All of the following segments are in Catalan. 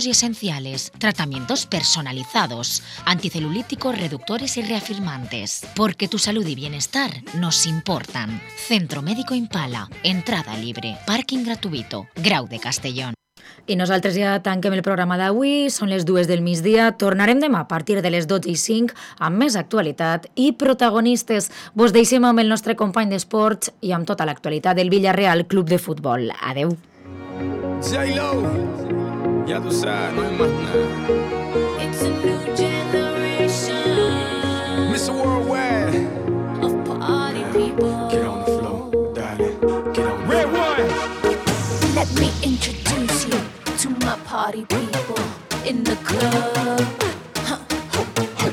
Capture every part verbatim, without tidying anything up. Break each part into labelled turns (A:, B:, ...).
A: y esenciales, tratamientos personalizados, anticelulíticos, reductores y reafirmantes. Porque tu salud y bienestar nos importan. Centro Médico Impala, entrada libre, parking gratuito, Grau de Castellón.
B: I nosaltres ja tanquem el programa d'avui, són les dues del migdia, tornarem demà a partir de les dotze i cinc amb més actualitat i protagonistes. Vos deixem amb el nostre company d'esports i amb tota l'actualitat del Villarreal Club de Futbol. Adeu.
C: J-Lo, ya tú sabes, no hay más nada.
D: It's a new generation.
C: mister Worldwide.
D: Of party people.
C: Get on the floor, darling. Get on the Red one.
D: Let me introduce you to my party people in the club. Huh.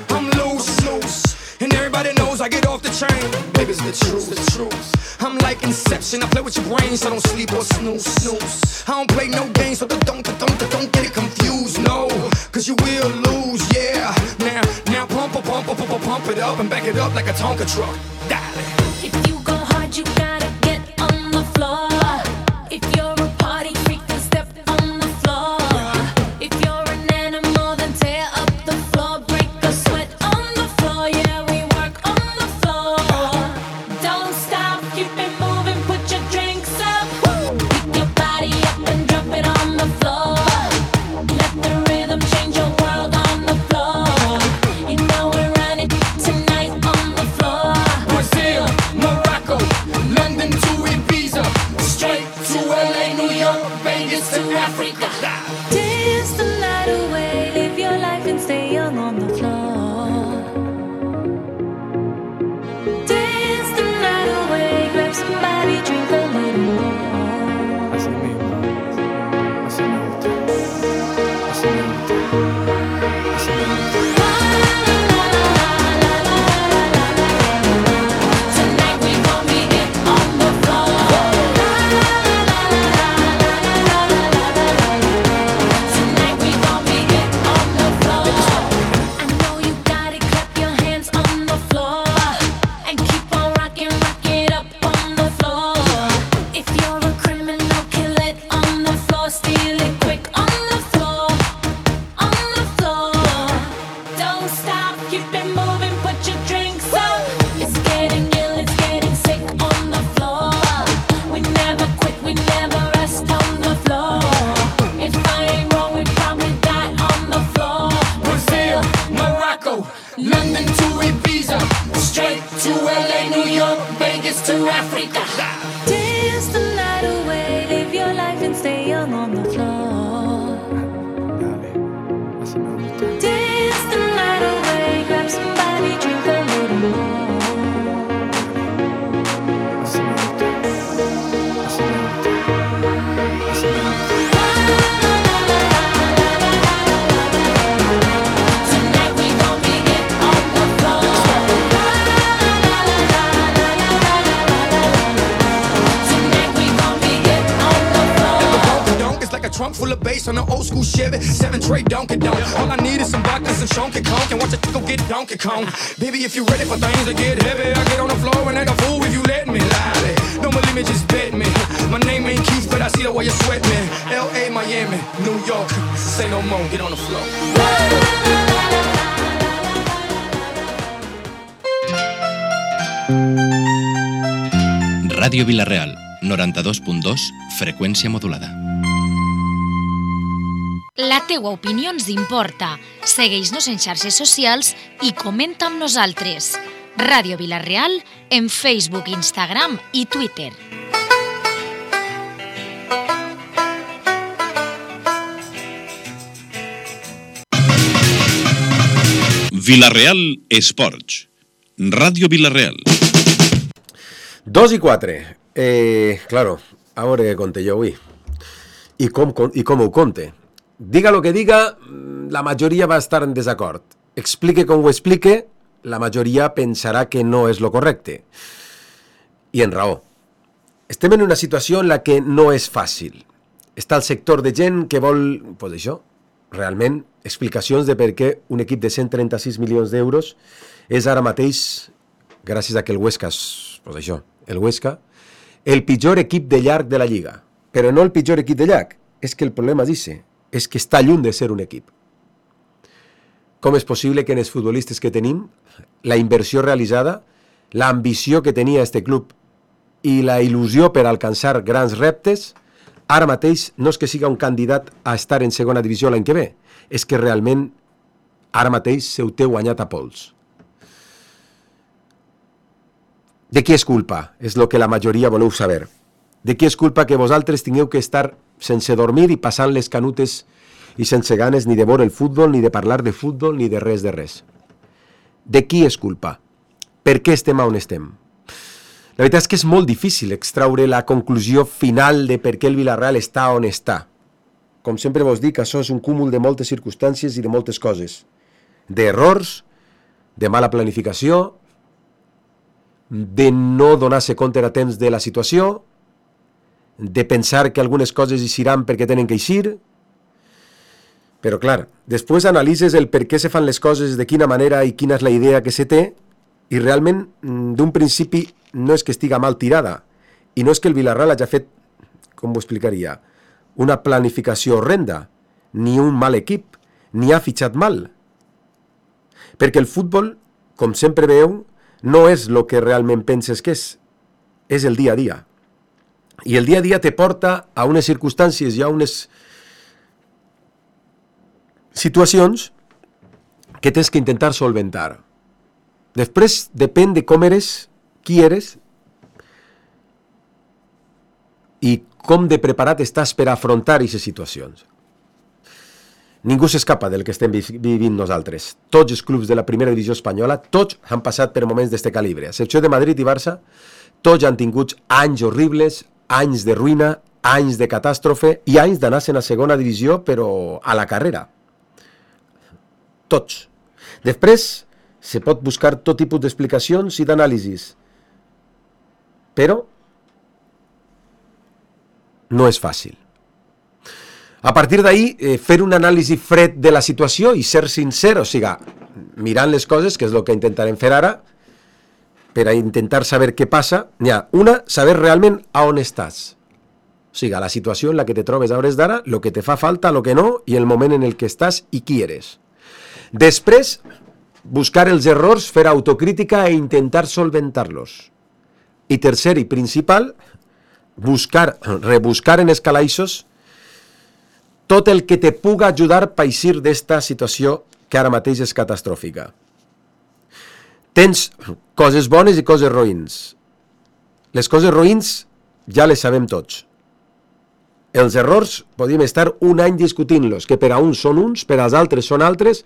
C: I'm loose, loose, and everybody knows I get off the train. Baby, it's the truth, the truth. I'm like Inception, I play with your brain, so don't sleep or snooze, snooze. I don't play no games, so don't, don't, don't, don't get it confused, no, cause you will lose, yeah. Now, now pump, pump, pump, pump, pump it up and back it up like a Tonka truck, darling.
D: If you go hard, you gotta get on the floor. If you're a party freak, then step on the floor. If you're an animal, then tear up the floor. Break a sweat on the floor, yeah, we work on the floor. Don't stop, keep it moving, put your drinks up. Pick your body up and drop it on the floor. Let the rhythm change your world on the floor. You know we're running tonight on the floor.
C: Brazil, Morocco, London to Ibiza, straight to L A, New York, Vegas to Africa.
D: Dance the night away, live your life and stay young on the floor. Dance the night away, grab somebody, drink a little more.
C: Así mismo, así me gusta, así me gusta, así me gusta.
D: Tonight we gon' be it on the floor. Tonight we gon' be it on the floor. I know you got it, clap your hands on the floor and keep on rocking, rock it up on the floor. If you're a criminal, kill it on the floor, steal it quick on the floor, on the floor. Don't stop, keep it moving, put your drinks up. It's getting ill, it's getting sick on the floor. We never quit, we never rest on the floor. If I ain't wrong, we probably die on the floor.
C: Brazil, Morocco, London to Ibiza, straight to L A, New York, Vegas to Africa.
D: Dance the night away, live your life and stay young on the floor.
C: Dale, así me gusta.
D: Dance the night away, grab somebody, drink a little more.
C: Así me gusta, así me gusta, así me gusta.
D: Tonight we gon' be it on the floor. Tonight we gon' be it on the floor.
C: Donkey donk, it's like a trunk full of bass on an old school Chevy, seven tray Donkey Donk. All I need is some vodka, some Chunky Conk, and watch it go get Donkey Kong. Baby, if you ready for things to get heavy, I get on the floor and act a fool if you let me. Lie, don't believe me, just bet me. My name ain't Keith, but I see the way you sweat me. L A, Miami, New York, say no more, get on the floor.
E: Ràdio Vila-real, noranta-dos punt dos, freqüència modulada.
A: La teua opinió ens importa. Segueix-nos en xarxes socials i comenta amb nosaltres. Ràdio Vila-real en Facebook, Instagram i Twitter.
F: Vila-real Esports. Ràdio Vila-real.
G: Dos i quatre. Eh, claro, a veure què conte jo avui. I com, i com ho conte. Diga lo que diga, la majoria va estar en desacord. Explique com ho explique, la majoria pensarà que no és lo correcte. I en raó. Estem en una situació en la que no és fàcil. Està el sector de gent que vol, pues això, realment, explicacions de per què un equip de cent trenta-sis milions d'euros és ara mateix, gràcies a que el Huesca, pues això, el Huesca, el pitjor equip de llarg de la Lliga. Però no el pitjor equip de llarg, és que el problema dice és que està lluny de ser un equip. Com és possible que en els futbolistes que tenim, la inversió realitzada, l'ambició que tenia este club i la il·lusió per alcançar grans reptes, ara mateix no és que siga un candidat a estar en segona divisió l'any que ve, és que realment ara mateix se ho té guanyat a pols. De qui és culpa? És el que la majoria voleu saber. De qui és culpa que vosaltres tingueu que estar sense dormir i passant les canutes i sense ganes ni de veure el futbol, ni de parlar de futbol, ni de res de res? De qui és culpa? Per què estem on estem? La veritat és que és molt difícil extraure la conclusió final de per què el Villarreal està on està. Com sempre vos dic, això és un cúmul de moltes circumstàncies i de moltes coses. D'errors, de mala planificació, de no donar-se compte a temps de la situació, de pensar que algunes coses eixiran perquè tenen que eixir. Però, clar, després analitzes el per què se fan les coses, de quina manera i quina és la idea que se té, i realment, d'un principi, no és que estiga mal tirada, i no és que el Villarreal hagi fet, com ho explicaria, una planificació horrenda, ni un mal equip, ni ha fitxat mal. Perquè el futbol, com sempre veieu, no és el que realment penses que és, és el dia a dia. I el dia a dia te porta a unes circumstàncies i a unes situacions que tens que intentar solventar. Després depèn de com eres, qui eres i com de preparat estàs per afrontar aquestes situacions. Ningú s'escapa del que estem vivint nosaltres. Tots els clubs de la primera divisió espanyola, tots han passat per moments d'este calibre. A excepció de Madrid i Barça, tots han tingut anys horribles, anys de ruïna, anys de catàstrofe i anys d'anar-se'n a segona divisió, però a la carrera. Tots. Després, se pot buscar tot tipus d'explicacions i d'anàlisis. Però no és fàcil. A partir d'ahí, eh, fer un anàlisi fred de la situació i ser sincer, o sigui, mirant les coses, que és el que intentarem fer ara, per a intentar saber què passa, n'hi ha una, saber realment a on estàs. O sigui, la situació en la que te trobes a hores d'ara, el que te fa falta, el que no, i el moment en el que estàs i qui eres. Després, buscar els errors, fer autocrítica e intentar solventar-los. I tercer i principal, buscar, rebuscar en els calaixos tot el que te puga ajudar a eixir d'esta situació que ara mateix és catastròfica. Tens coses bones i coses roïns. Les coses roïns ja les sabem tots. Els errors podríem estar un any discutint-los, que per a uns són uns, per als altres són altres,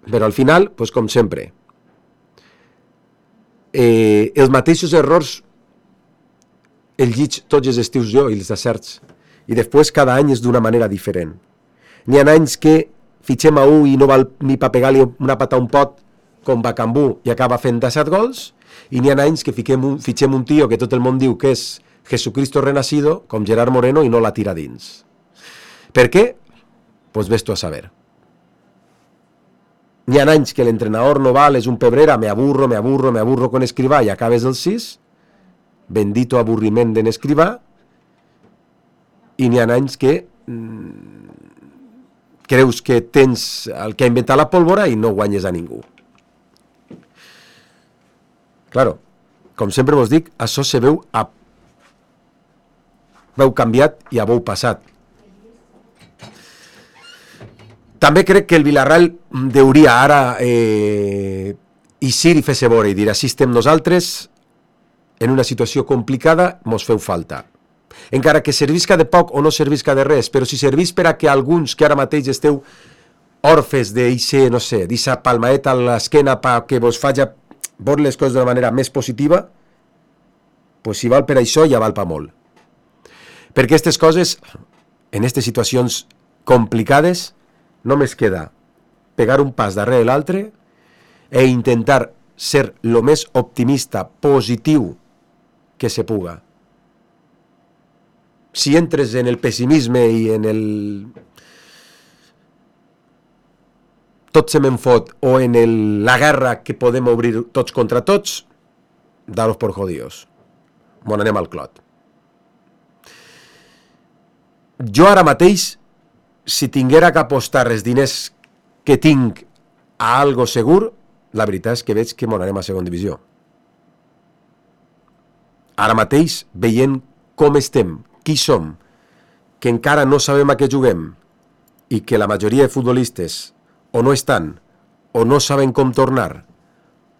G: però al final, doncs com sempre, eh, els mateixos errors els lliig tots els estius jo i els acerts, i després cada any és d'una manera diferent. N'hi ha anys que fitxem a un i no val ni per pegar-li una pata a un pot com Bacambú i acaba fent disset gols, i n'hi ha anys que fiquem un, fitxem un tio que tot el món diu que és Jesucristo renacido, com Gerard Moreno, i no la tira dins. Per què? Pues ves tu a saber. N'hi ha anys que l'entrenador no val, és un pebrera, me aburro, me aburro, me aburro con Escrivà i acabes el sis, bendito aburriment d'en Escrivà, i n'hi ha anys que mmm, creus que tens el que ha inventat la pólvora i no guanyes a ningú. Claro, com sempre vos dic, això se veu a veu canviat i a veu passat. També crec que el Villarreal deuria ara eh, eixir i fer-se veure i dir, així estem nosaltres en una situació complicada, mos feu falta. Encara que servisca de poc o no servisca de res, però si servís per a que alguns que ara mateix esteu orfes d'eixe, no sé, d'eixa palmaeta a l'esquena perquè vos faci veure les coses d'una manera més positiva, pues si val per això ja val per molt. Perquè aquestes coses, en aquestes situacions complicades, només queda pegar un pas darrere l'altre e intentar ser el més optimista, positiu que se puga. Si entres en el pessimisme i en el tot se me'n fot o en el... la guerra que podem obrir tots contra tots, daros por jodidos. Bon, anem al clot. Jo ara mateix si tinguera que apostar els diners que tinc a algo segur, la veritat és que veig que m'anarem a segona divisió. Ara mateix, veient com estem, qui som, que encara no sabem a què juguem i que la majoria de futbolistes o no estan, o no saben com tornar,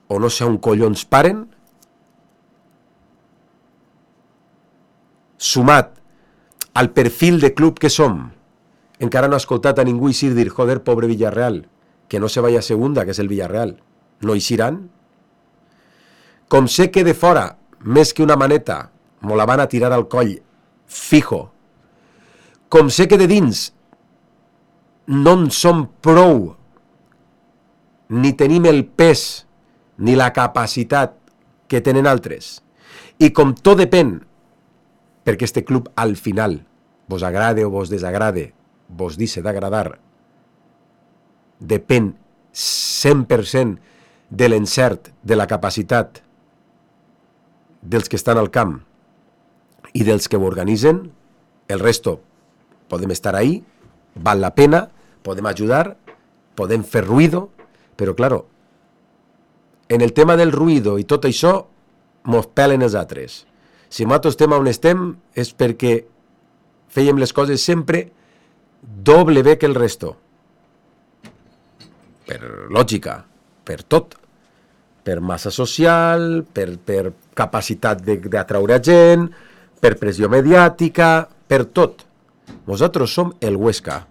G: o no sé on collons paren, sumat al perfil de club que som, encara no he escoltat a ningú eixir dir, joder, pobre Villarreal, que no se vaya a segunda, que és el Villarreal. No eixiran? Com sé que de fora, més que una maneta, m'ho la van a tirar al coll fijo. Com sé que de dins no en som prou, ni tenim el pes, ni la capacitat que tenen altres. I com tot depèn, perquè este club al final, vos agrade o vos desagrade, vos deixa d'agradar, depèn cent per cent de l'encert, de la capacitat dels que estan al camp i dels que ho organitzen. El resto podem estar ahí, val la pena, podem ajudar, podem fer ruido, però claro, en el tema del ruido i tot això mos pelen els altres. Si nosaltres estem on estem és perquè fèiem les coses sempre doble bé que el resto. Per lògica, per tot. Per massa social, per, per capacitat d'atraure gent, per pressió mediàtica, per tot. Nosaltres som el Huesca.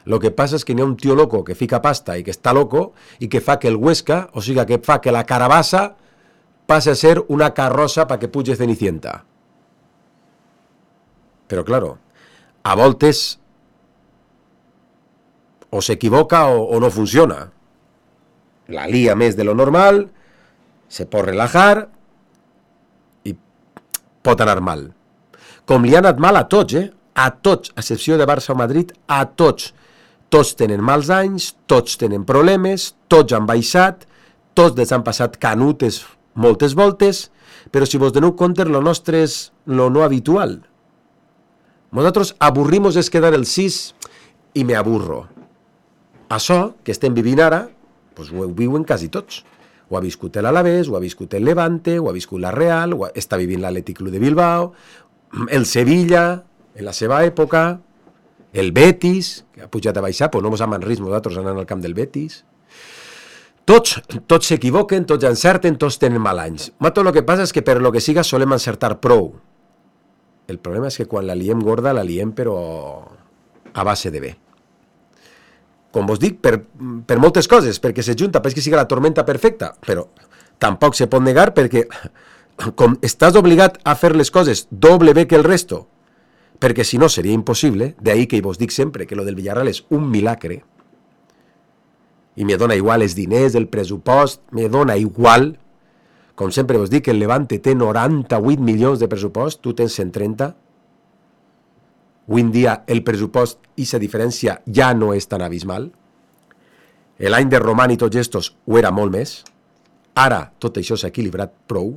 G: Lo que passa és que n'hi ha un tio loco que fica pasta i que està loco i que fa que el Huesca, o sigui, que fa que la carabassa passe a ser una carrossa para que puge Cenicienta. Però, claro, a voltes o s'equivoca o, o no funciona. La lía més de lo normal, se pot relajar i pot anar mal. Com li ha anat mal a tots, eh? A tots, a excepció de Barça o Madrid, a tots. Tots tenen mals anys, tots tenen problemes, tots han baixat, tots els han passat canutes moltes voltes, però si vos doneu compte, lo nostre és lo no habitual. Nosaltres avorrimos és quedar el sis i me aburro. Això que estem vivint ara, pues ho viuen quasi tots. Ho ha viscut l'Alavés, ho ha viscut el Levante, ho ha viscut la Real, ho està vivint l'Atlètic Club de Bilbao, el Sevilla, en la seva època, el Betis, que ha pujat a baixar, però no mos aman ris nosaltres anant al camp del Betis. Tots, tots s'equivoquen, tots encerten, tots tenen mal anys. Tot el que passa és que per lo que siga solem encertar prou. El problema és que quan la liem gorda, la liem però a base de bé. Com vos dic, per, per moltes coses, perquè se junta, perquè siga la tormenta perfecta, però tampoc se pot negar perquè com estàs obligat a fer les coses doble bé que el resto, perquè si no seria impossible, de ahí que vos dic sempre que lo del Villarreal és un milagre, i me dona igual els diners, el pressupost, me dona igual. Com sempre vos dic, el Levante té noranta-vuit milions de pressupost, tu tens cent trenta. Avui en dia el pressupost i la diferència ja no és tan abismal. L'any de Roman i tots estos ho era molt més. Ara tot això s'ha equilibrat prou.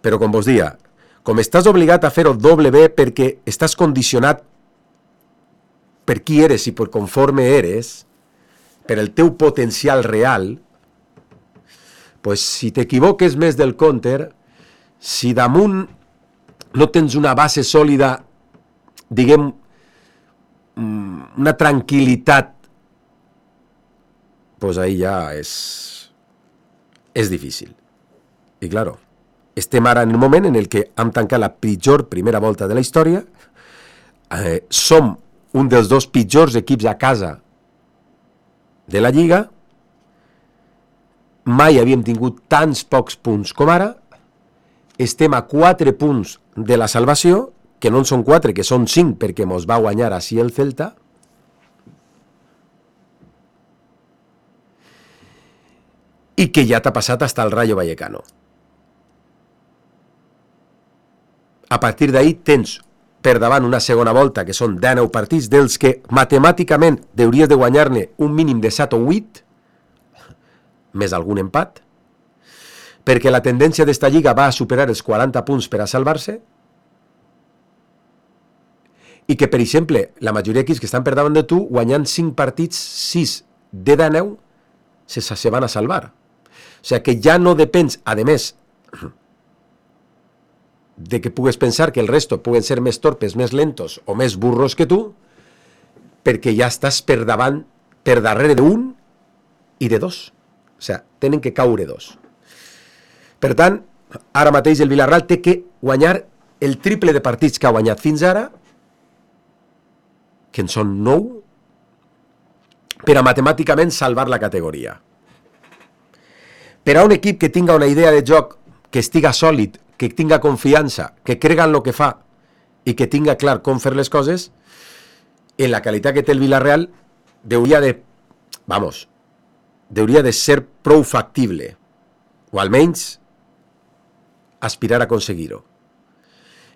G: Però com vos dia, com estàs obligat a fer-ho doble bé perquè estàs condicionat per qui eres i per conforme eres, per el teu potencial real, pues si t'equivoques més del compte, si damunt no tens una base sòlida, diguem, una tranquil·litat, pues ahí ja és, és difícil. I claro, estem ara en el moment en el que hem tancat la pitjor primera volta de la història, eh, som un dels dos pitjors equips a casa de la Lliga, mai havíem tingut tants pocs punts com ara, estem a quatre punts de la salvació, que no en són quatre, que són cinc, perquè mos va guanyar així el Celta, i que ja t'ha passat hasta el Rayo Vallecano. A partir d'ahí tens per davant una segona volta, que són dinou partits, dels que matemàticament hauries de guanyar-ne un mínim de set o vuit, més algun empat, perquè la tendència d'esta lliga va a superar els quaranta punts per a salvar-se, i que, per exemple, la majoria d'equips que estan per davant de tu, guanyant cinc partits, sis de deu, se, se van a salvar. O sigui que ja no depens, a més, de que pugues pensar que el resto puguen ser més torpes, més lentos o més burros que tu, perquè ja estàs per davant, per darrere d'un i de dos. O sigui, tenen que caure dos. Per tant, ara mateix el Villarreal té que guanyar el triple de partits que ha guanyat fins ara, que en són nou, per a matemàticament salvar la categoria. Per a un equip que tinga una idea de joc, que estiga sòlid, que tinga confiança, que crega en el que fa i que tinga clar com fer les coses, en la qualitat que té el Villarreal, hauria de, vamos, hauria de ser prou factible, o almenys aspirar a aconseguir-ho.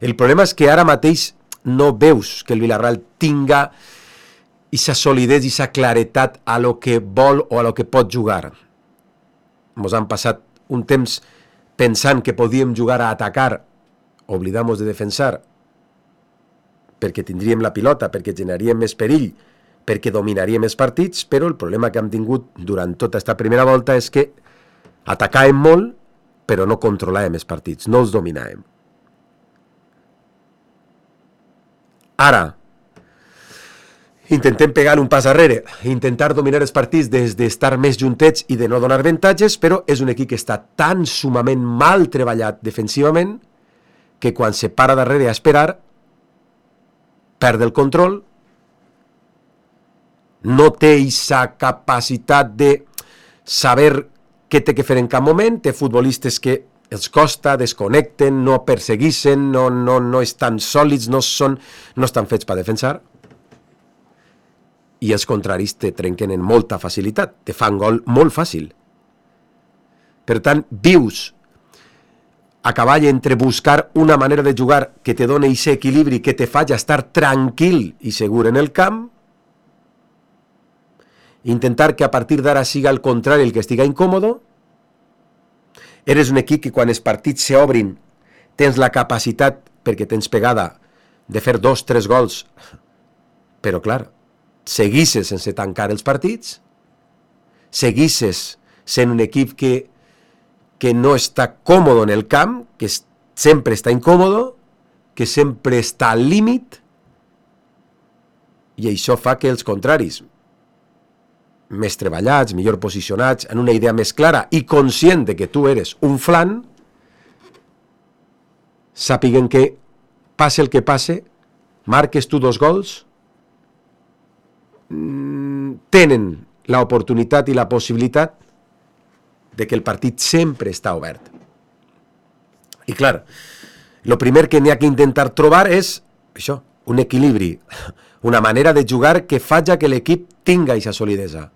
G: El problema és que ara mateix no veus que el Villarreal tinga aquesta solidesa, aquesta claretat a lo que vol o a lo que pot jugar. Ens han passat un temps pensant que podíem jugar a atacar, oblidamos de defensar, perquè tindríem la pilota, perquè generaríem més perill, perquè dominaríem més partits, però el problema que hem tingut durant tota aquesta primera volta és que atacàvem molt, però no controlàvem els partits, no els dominàvem. Ara, intentem pegar un pas arrere, intentar dominar els partits des d'estar més juntets i de no donar avantatges, però és un equip que està tan sumament mal treballat defensivament que quan se para darrere a esperar, perd el control, no té aquesta capacitat de saber què té que fer en cap moment, té futbolistes que els costa, desconnecten, no persegueixen, no, no, no estan sòlids, no, són, no estan fets per defensar, i els contraris te trenquen en molta facilitat, te fan gol molt fàcil. Per tant, vius a cavall entre buscar una manera de jugar que te doni aquest equilibri, que te faci estar tranquil i segur en el camp, intentar que a partir d'ara siga el contrari el que estiga incòmodo. Eres un equip que quan els partits s'obrin tens la capacitat, perquè tens pegada, de fer dos, tres gols, però clar, seguisses sense tancar els partits, seguisses sent un equip que, que no està còmodo en el camp, que sempre està incòmodo, que sempre està al límit, i això fa que els contraris, més treballats, millor posicionats, en una idea més clara i conscient de que tu eres un flan, sàpiguen que passe el que passe, marques tu dos gols, tenen l'oportunitat i la possibilitat de que el partit sempre està obert. I clar, el primer que n'hi ha que intentar trobar és això, un equilibri, una manera de jugar que faci que l'equip tinga aquesta solidesa.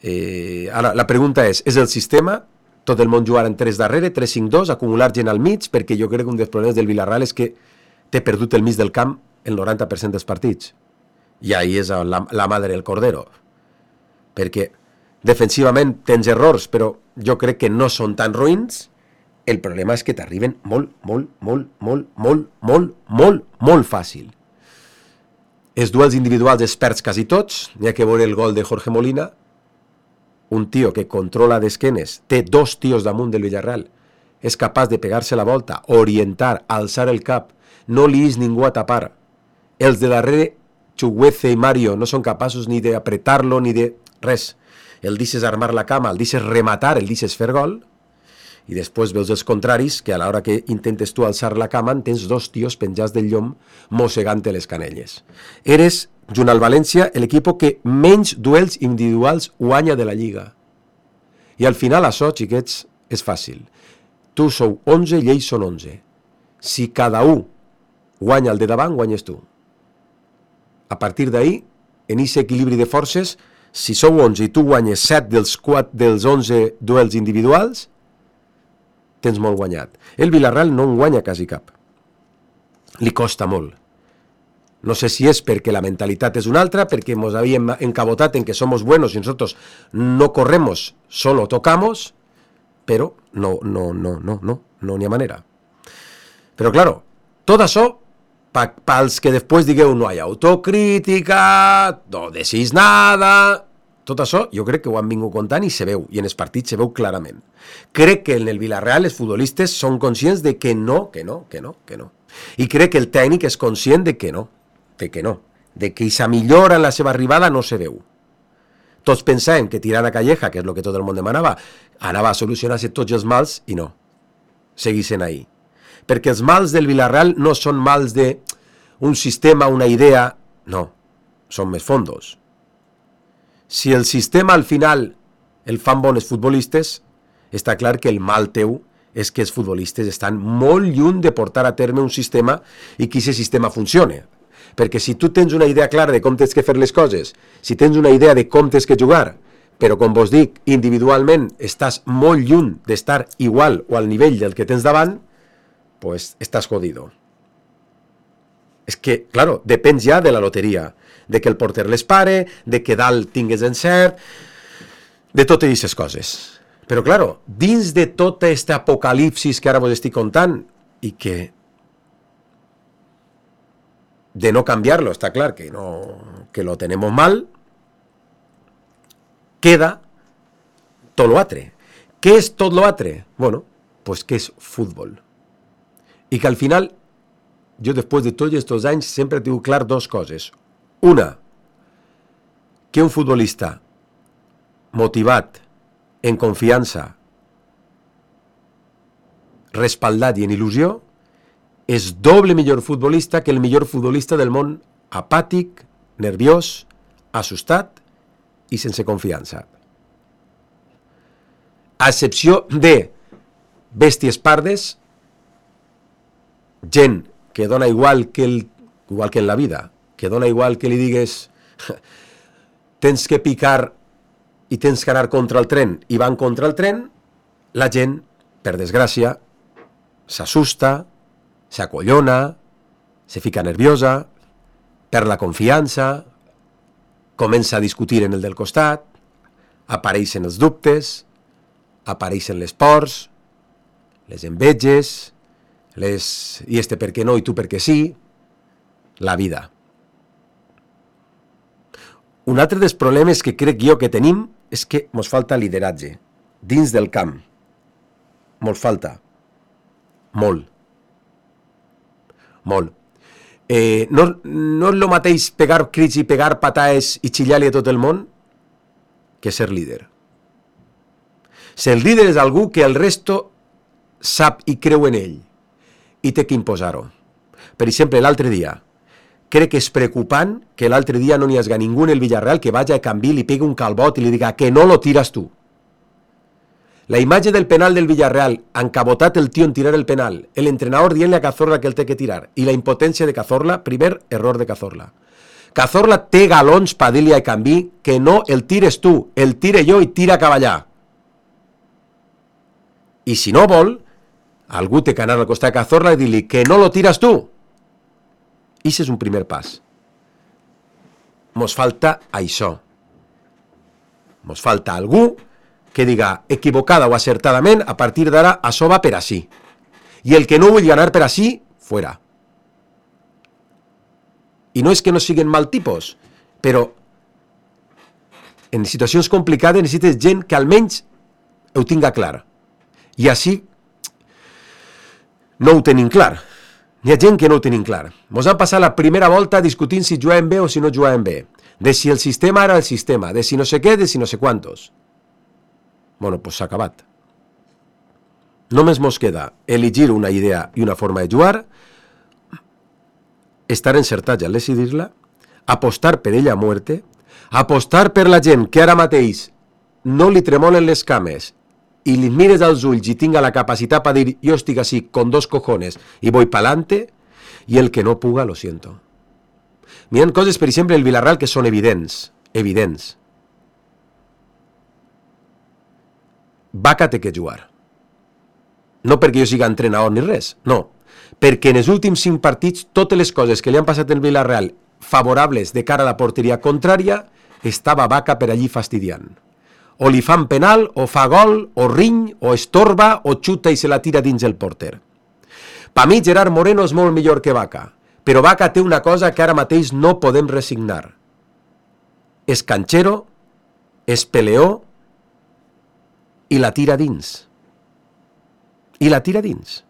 G: Eh, ara, la pregunta és, és el sistema? Tot el món jugar en tres darrere, tres cinc dos, acumular gent al mig, perquè jo crec que un dels problemes del Villarreal és que té perdut el mig del camp el noranta per cent dels partits. I ahí és la, la madre del cordero. Perquè defensivament tens errors, però jo crec que no són tan ruïns. El problema és que t'arriben molt, molt, molt, molt, molt, molt, molt, molt fàcil. Els duels individuals els perds quasi tots. N'hi ha que veure el gol de Jorge Molina, un tio que controla d'esquenes, té dos tios damunt del Villarreal, és capaç de pegar-se la volta, orientar, alçar el cap, no li és ningú a tapar. Els de darrere, Chuguece i Mario, no són capaços ni d'apretar-lo ni de res. El deixes armar la cama, el deixes rematar, el deixes fer gol, i després veus els contraris, que a l'hora que intentes tu alçar la cama tens dos tios penjats del llom mossegant-te les canelles. Eres, junt al València, l'equip que menys duels individuals guanya de la Lliga. I al final això, xiquets, és fàcil. Tu sou onze i ells són onze. Si cada un guanya el de davant, guanyes tu. A partir d'ahí, en aquest equilibri de forces, si sou onze i tu guanyes set dels, quatre, dels onze duels individuals, tens molt guanyat. El Villarreal no en guanya quasi cap. Li costa molt. No sé si és perquè la mentalitat és una altra, perquè ens havíem encabotat en que somos buenos y nosotros no corremos, solo tocamos, pero no, no, no, no, no, no n'hi ha manera. Però claro, tot això Pa, pals que després digueu no hi ha autocrítica, no decís nada... Tot això jo crec que ho han vingut contant i se veu, i en els partits se veu clarament. Crec que en el Villarreal els futbolistes són conscients de que no, que no, que no, que no. I crec que el tècnic és conscient de que no, de que no, de que aquesta millora en la seva arribada no se veu. Tots pensàvem que tirant a Calleja, que és el que tot el món demanava, anava a solucionar-se tots els mals, i no. Seguissin ahí. Perquè els mals del Villarreal no són mals de un sistema, una idea, no, són més fondos. Si el sistema al final el fan bons futbolistes, està clar que el mal teu és que els futbolistes estan molt lluny de portar a terme un sistema i que aquest sistema funcione. Perquè si tu tens una idea clara de com tens que fer les coses, si tens una idea de com tens que jugar, però com vos dic, individualment estàs molt lluny d'estar igual o al nivell del que tens davant, pues estàs jodido. És que, claro, depèn ja de la loteria, de que el porter les pare, de que dalt tingues encert, de totes aquestes coses. Però, claro, dins de tota aquesta apocalipsis que ara vos estic contant, i que de no canviar-lo, està clar que, no, que lo tenemos mal, queda tot lo altre. Què és tot lo altre? Bueno, pues que és futbol. I que al final, jo després de tots aquests anys sempre he tingut clar dues coses. Una, que un futbolista motivat, en confiança, respaldat i en il·lusió, és doble millor futbolista que el millor futbolista del món apàtic, nerviós, assustat i sense confiança. A excepció de bèsties pardes, gent que dona igual que, el, igual que en la vida, que dona igual que li digues tens que picar i tens que anar contra el tren i van contra el tren, la gent, per desgràcia, s'assusta, s'acollona, se fica nerviosa, perd la confiança, comença a discutir en el del costat, apareixen els dubtes, apareixen les pors, les enveges, les... i este per què no i tu per què sí, la vida. Un altre dels problemes que crec jo que tenim és que ens falta lideratge dins del camp. Mos falta. Molt. Molt. Eh, no, no és el mateix pegar crits i pegar pataes i xillar-li a tot el món que ser líder. Ser líder és algú que el resto sap i creu en ell i té que imposar-ho. Per exemple, l'altre dia, crec que és preocupant que l'altre dia no n'hi hagi ningú en el Villarreal que vagi a canvi, li pegui un calbot i li diga que no lo tiras tu. La imatge del penal del Villarreal, encabotat el tio en tirar el penal, el entrenador dient-li a Cazorla que el té que tirar, i la impotència de Cazorla, primer error de Cazorla. Cazorla té galons per dir-li a canvi que no el tires tu, el tire jo i tira cap allà. I si no vol, algú té que anar al costat de Cazorla i dir-li que no lo tiras tu. I això és un primer pas. Mos falta això. Mos falta algú que diga equivocada o acertadament, a partir d'ara això va per així. I el que no vull anar per així, fuera. I no és que no siguin mal tipus, però en situacions complicades necessites gent que almenys ho tinga clar. I així no ho tenim clar. N'hi ha gent que no ho tenim clar. Mos han passat la primera volta discutint si jugaven bé o si no jugaven bé. De si el sistema era el sistema, de si no sé què, de si no sé quantos. Bueno, pues s'ha acabat. Només mos queda elegir una idea i una forma de jugar, estar encertats al decidir-la, apostar per ella a muerte, apostar per la gent que ara mateix no li tremolen les cames i li mires als ulls i tinga la capacitat per dir jo estic així con dos cojones i voy pa'lante, i el que no puga lo siento. Hi ha coses, per exemple, el Villarreal que són evidents, evidents. Vaca té que jugar. No perquè jo siga entrenador ni res, no. Perquè en els últims cinc partits totes les coses que li han passat al Villarreal favorables de cara a la porteria contrària, estava Vaca per allí fastidiant. O li fan penal, o fa gol, o riny, o estorba, o xuta i se la tira dins el porter. Per mi Gerard Moreno és molt millor que Vaca, però Vaca té una cosa que ara mateix no podem resignar. És canxero, és peleó i la tira dins. I la tira dins.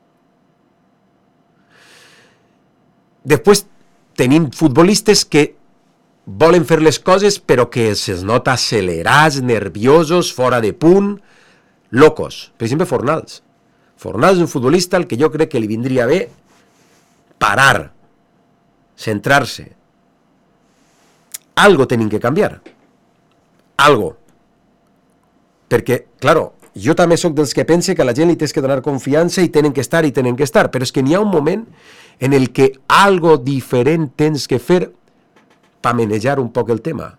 G: Després tenim futbolistes que volen fer les coses però que se'ls nota accelerats, nerviosos, fora de punt, locos. Per exemple, Fornals. Fornals és un futbolista al que jo crec que li vindria bé parar, centrar-se. Algo tenim que canviar. Algo. Perquè, claro, jo també sóc dels que pense que a la gent li tens que donar confiança i tenen que estar i tenen que estar, però és que n'hi ha un moment en el que algo diferent tens que fer per manejar un poc el tema.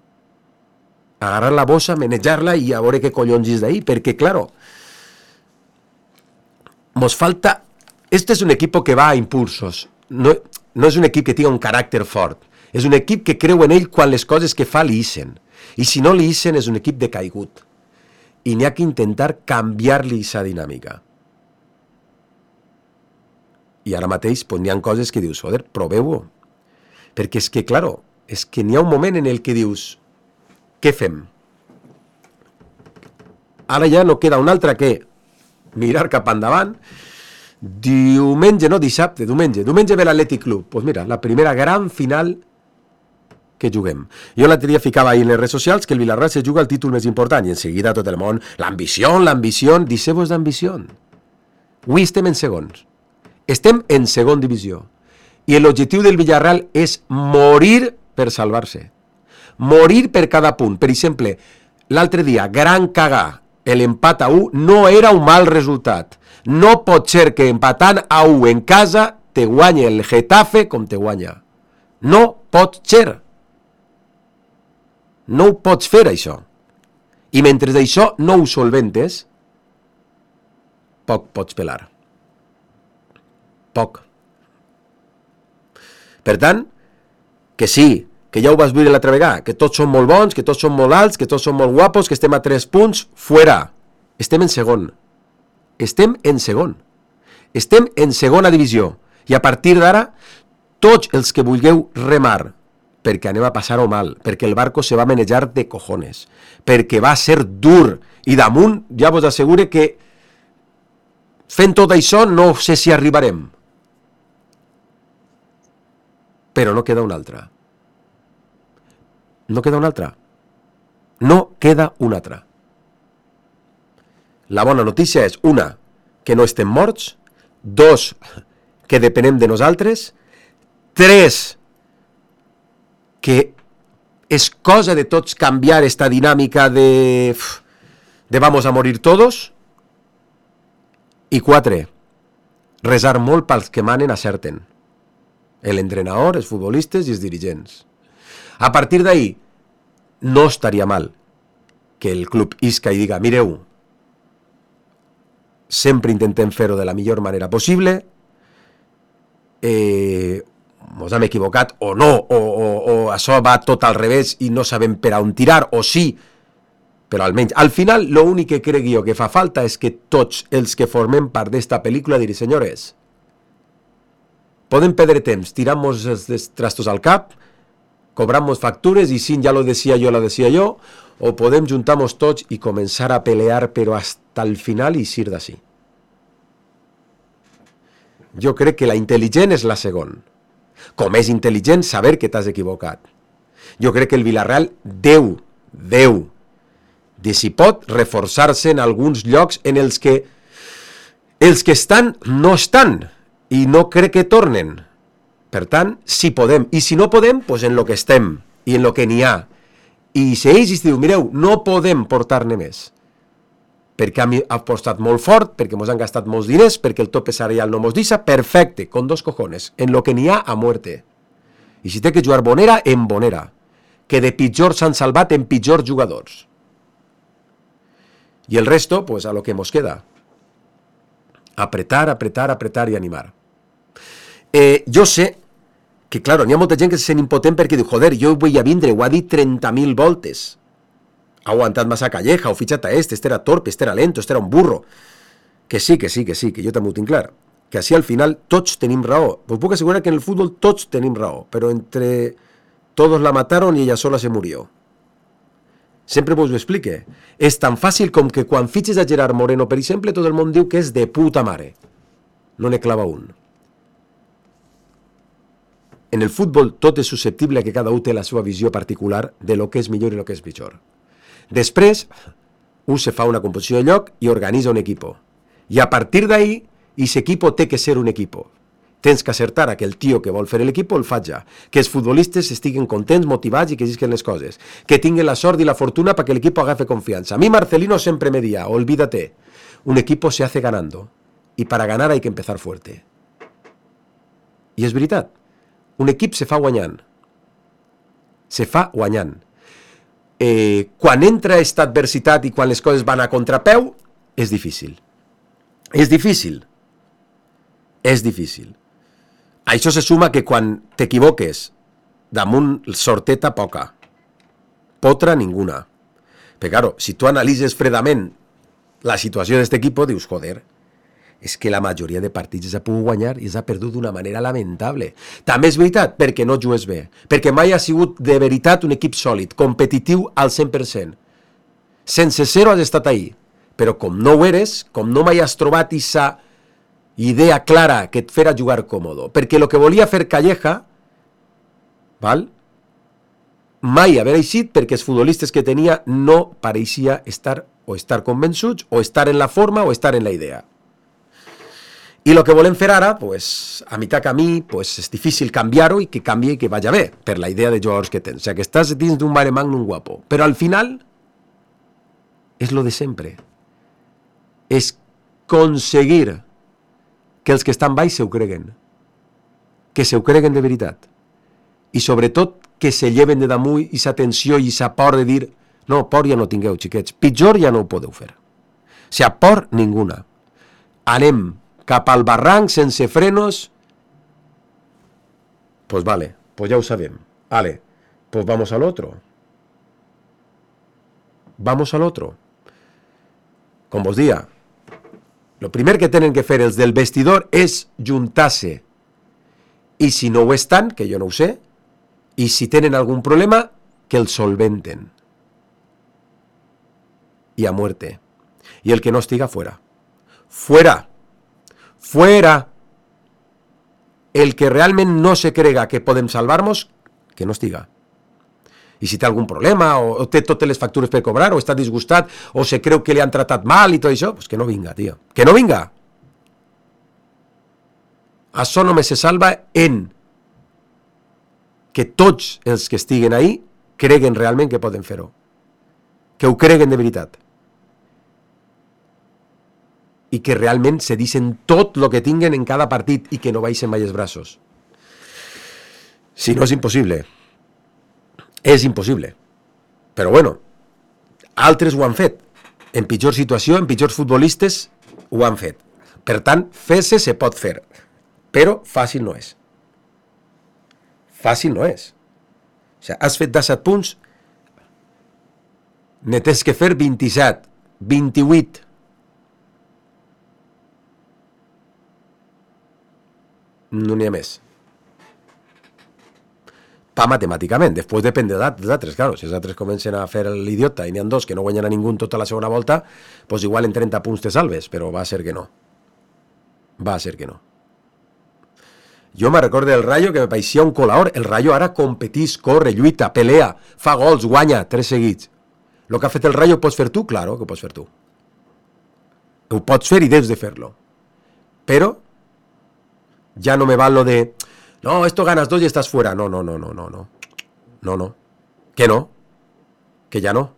G: Agarrar la bossa, manejar-la i a veure què collons és d'ahí, perquè, claro, mos falta... Este és un equip que va a impulsos. No, no és un equip que tingui un caràcter fort. És un equip que creu en ell quan les coses que fa li ixen. I si no li ixen és un equip decaigut. I n'hi ha que intentar canviar-li aquesta dinàmica. I ara mateix pues, n'hi ha coses que dius, joder, proveu-ho. Perquè és que, claro, és que n'hi ha un moment en el que dius, què fem? Ara ja no queda un altre que mirar cap endavant. Diumenge, no dissabte, diumenge. Diumenge ve l'Atlètic Club. Doncs pues mira, la primera gran final que juguem. Jo l'altre dia ficava ahí en les redes socials que el Villarreal se juga el títol més important i en seguida tot el món, l'ambició, l'ambició, deixeu-vos d'ambició. Avui estem en segons. Estem en segon divisió. I l'objectiu del Villarreal és morir per salvar-se. Morir per cada punt. Per exemple, l'altre dia, gran cagar, l'empat a u no era un mal resultat. No pot ser que empatant a u en casa te guanyi el Getafe com te guanya. No pot ser. No ho pots fer, això. I mentre d'això no ho solventes, poc pots pelar. Poc. Per tant, que sí, que ja ho vas veure l'altra vegada, que tots són molt bons, que tots són molt alts, que tots són molt guapos, que estem a tres punts, fuera. Estem en segon. Estem en segon. Estem en segona divisió. I a partir d'ara, tots els que vulgueu remar, perquè anem a passar-ho mal, perquè el barco se va manejar de cojones, perquè va ser dur, i damunt ja vos assegure que fent tot això no sé si arribarem. Però no queda una altra. No queda una altra. No queda una altra. La bona notícia és, una, que no estem morts, dos, que depenem de nosaltres, tres, que és cosa de tots canviar esta dinàmica de, de vamos a morir todos, i quatre, resar molt pels que manen acerten. L'entrenador, els futbolistes i els dirigents. A partir d'ahí, no estaria mal que el club isca i diga, mireu, sempre intentem fer-ho de la millor manera possible, eh, ens hem equivocat o no, o, o, o això va tot al revés i no sabem per on tirar, o sí, però almenys, al final, l'únic que crec jo que fa falta és que tots els que formem part d'esta pel·lícula diré, senyores, podem perdre temps, tiramos els trastos al cap, cobramos factures i si ja lo decía yo, lo decía yo, o podem juntar-nos tots i començar a pelear però hasta el final i eixir d'ací. Jo crec que la intel·ligent és la segona. Com és intel·ligent saber que t'has equivocat. Jo crec que el Villarreal deu, deu, de si pot reforçar-se en alguns llocs en els que els que estan no estan i no crec que tornen. Per tant, si podem, i si no podem, doncs en lo que estem i en lo que n'hi ha. I si ells diu, mireu, no podem portar-ne més, perquè hem apostat molt fort, perquè ens han gastat molts diners, perquè el tope salarial no mos deixa, perfecte, con dos cojones, en lo que n'hi ha a muerte. I si té que jugar bonera, en bonera, que de pitjor s'han salvat en pitjors jugadors. I el resto, pues a lo que mos queda. Apretar, apretar, apretar i animar. Eh, jo sé que, claro, n'hi ha molta gent que se sent impotent perquè diu, joder, jo vull a vindre, ho ha dit trenta mil voltes. Ha aguantat massa calleja, ho fitxat a este, este era torpe, este era lento, este era un burro. Que sí, que sí, que sí, que jo també ho tinc clar. que així al final tots tenim raó. Us puc assegurar que en el futbol tots tenim raó, però entre todos la mataron y ella sola se murió. Sempre vos ho explique. És tan fàcil com que quan fitxes a Gerard Moreno, per exemple, tot el món diu que és de puta mare. No ne clava un. En el futbol tot és susceptible a que cada un té la seva visió particular de lo que és millor i lo que és pitjor. Després, un se fa una composició de lloc i organitza un equipo. I a partir d'ahí, ese equipo té que ser un equipo. Tens que acertar a que el tio que vol fer l'equipo el faci, que els futbolistes estiguen contents, motivats i que llisquen les coses, que tinguin la sort i la fortuna para que l'equipo agafe confiança. A mi Marcelino sempre me dia, olvídate, un equipo se hace ganando y para ganar hay que empezar fuerte. I és veritat, un equip se fa guanyant, se fa guanyant. Eh, quan entra esta adversitat i quan les coses van a contrapeu, és difícil. És difícil. És difícil. Això se suma que quan t'equivoques damunt sorteta poca, potra ninguna. Però claro, si tu analitzes fredament la situació d'aquest equip, dius, joder, és que la majoria de partits s'ha pogut guanyar i s'ha perdut d'una manera lamentable. També és veritat, perquè no jugues bé, perquè mai ha sigut de veritat un equip sòlid, competitiu al cent per cent. Sense zero has estat ahí, però com no ho eres, com no mai has trobat aquesta idea clara que et fera jugar còmodo, perquè el que volia fer Calleja, val? mai haver eixit perquè els futbolistes que tenia no pareixia estar o estar convençuts, o estar en la forma, o estar en la idea. I el que volem fer ara, pues, a mitjà camí, pues, és difícil canviar-ho i que canvi i que vagi bé, per la idea de jugadors que tens. O sigui, que estàs dins d'un mare magnum guapo. Però al final, és lo de sempre. És aconseguir que els que estan baix se ho creguen. Que se ho creguen de veritat. I sobretot que se lleven de damunt i sa tensió i sa por de dir no, por ja no tingueu, xiquets. Pitjor ja no ho podeu fer. O sigui, por ninguna. Anem cap al barranc sense frenos. Pues vale, pues ja ho sabem. Vale, pues vamos al otro. Vamos al otro. Com vos dia, lo primer que tenen que fer els del vestidor és juntar-se. I si no ho estan, que jo no ho sé, i si tenen algun problema, que el solventen. Y a muerte. Y el que no estiga, fuera. Fuera. Fuera. El que realment no se crega que podem salvar-nos, que no estiga. I si té algun problema, o, o té totes les factures per cobrar, o està disgustat, o se creu que li han tratat mal i tot això, pues que no vinga, tio. Que no vinga. Això només se salva en que tots els que estiguen ahí creguen realment que poden fer-ho. Que ho creguen de veritat. I que realment se dicen tot el que tinguen en cada partit i que no baixen mai els braços. Si no, és impossible. És impossible. Però bueno, altres ho han fet. En pitjor situació, en pitjors futbolistes, ho han fet. Per tant, fer-se se pot fer. Però fàcil no és. Fàcil no és. O sigui, has fet disset punts, ne tens que fer vint-i-set, vint-i-vuit. No n'hi ha més. Pa matemàticament, després depèn dels altres, claro, si els altres comencen a fer l'idiota i n'hi ha dos que no guanyen a ningú tota la segona volta, doncs igual en trenta punts te salves, però va a ser que no. Va a ser que no. Jo me recordo del Rayo que me paeixia un colador. El Rayo ara competís, corre, lluita, pelea, fa gols, guanya, tres seguits. El que ha fet el Rayo ho pots fer tu? Claro que ho pots fer tu. Ho pots fer i deus de fer-lo. Però ja no me val lo de no, esto ganas dos y estás fuera. No, no, no, no, no, no. No, no. Que no. Que ya no.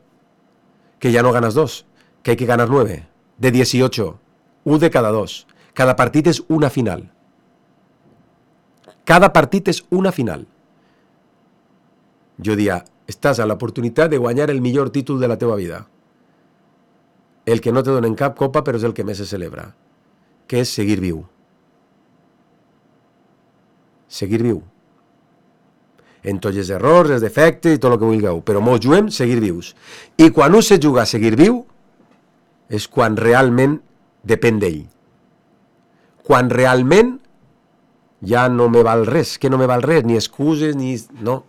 G: Que ya no ganas dos. Que hay que ganar nueve. De dieciocho. Un de cada dos. Cada partit és una final. Cada partit és una final. Jo dia, estàs a l'oportunitat de guanyar el millor títol de la teva vida. El que no te donen cap copa, però és el que més se celebra. Que és seguir viu. Seguir viu. En tots els errors, els defectes i tot el que vulgueu. Però mos juguem seguir vius. I quan un se juga a seguir viu, és quan realment depèn d'ell. quan realment ja no me val res, que no me val res, ni excuses, ni... no.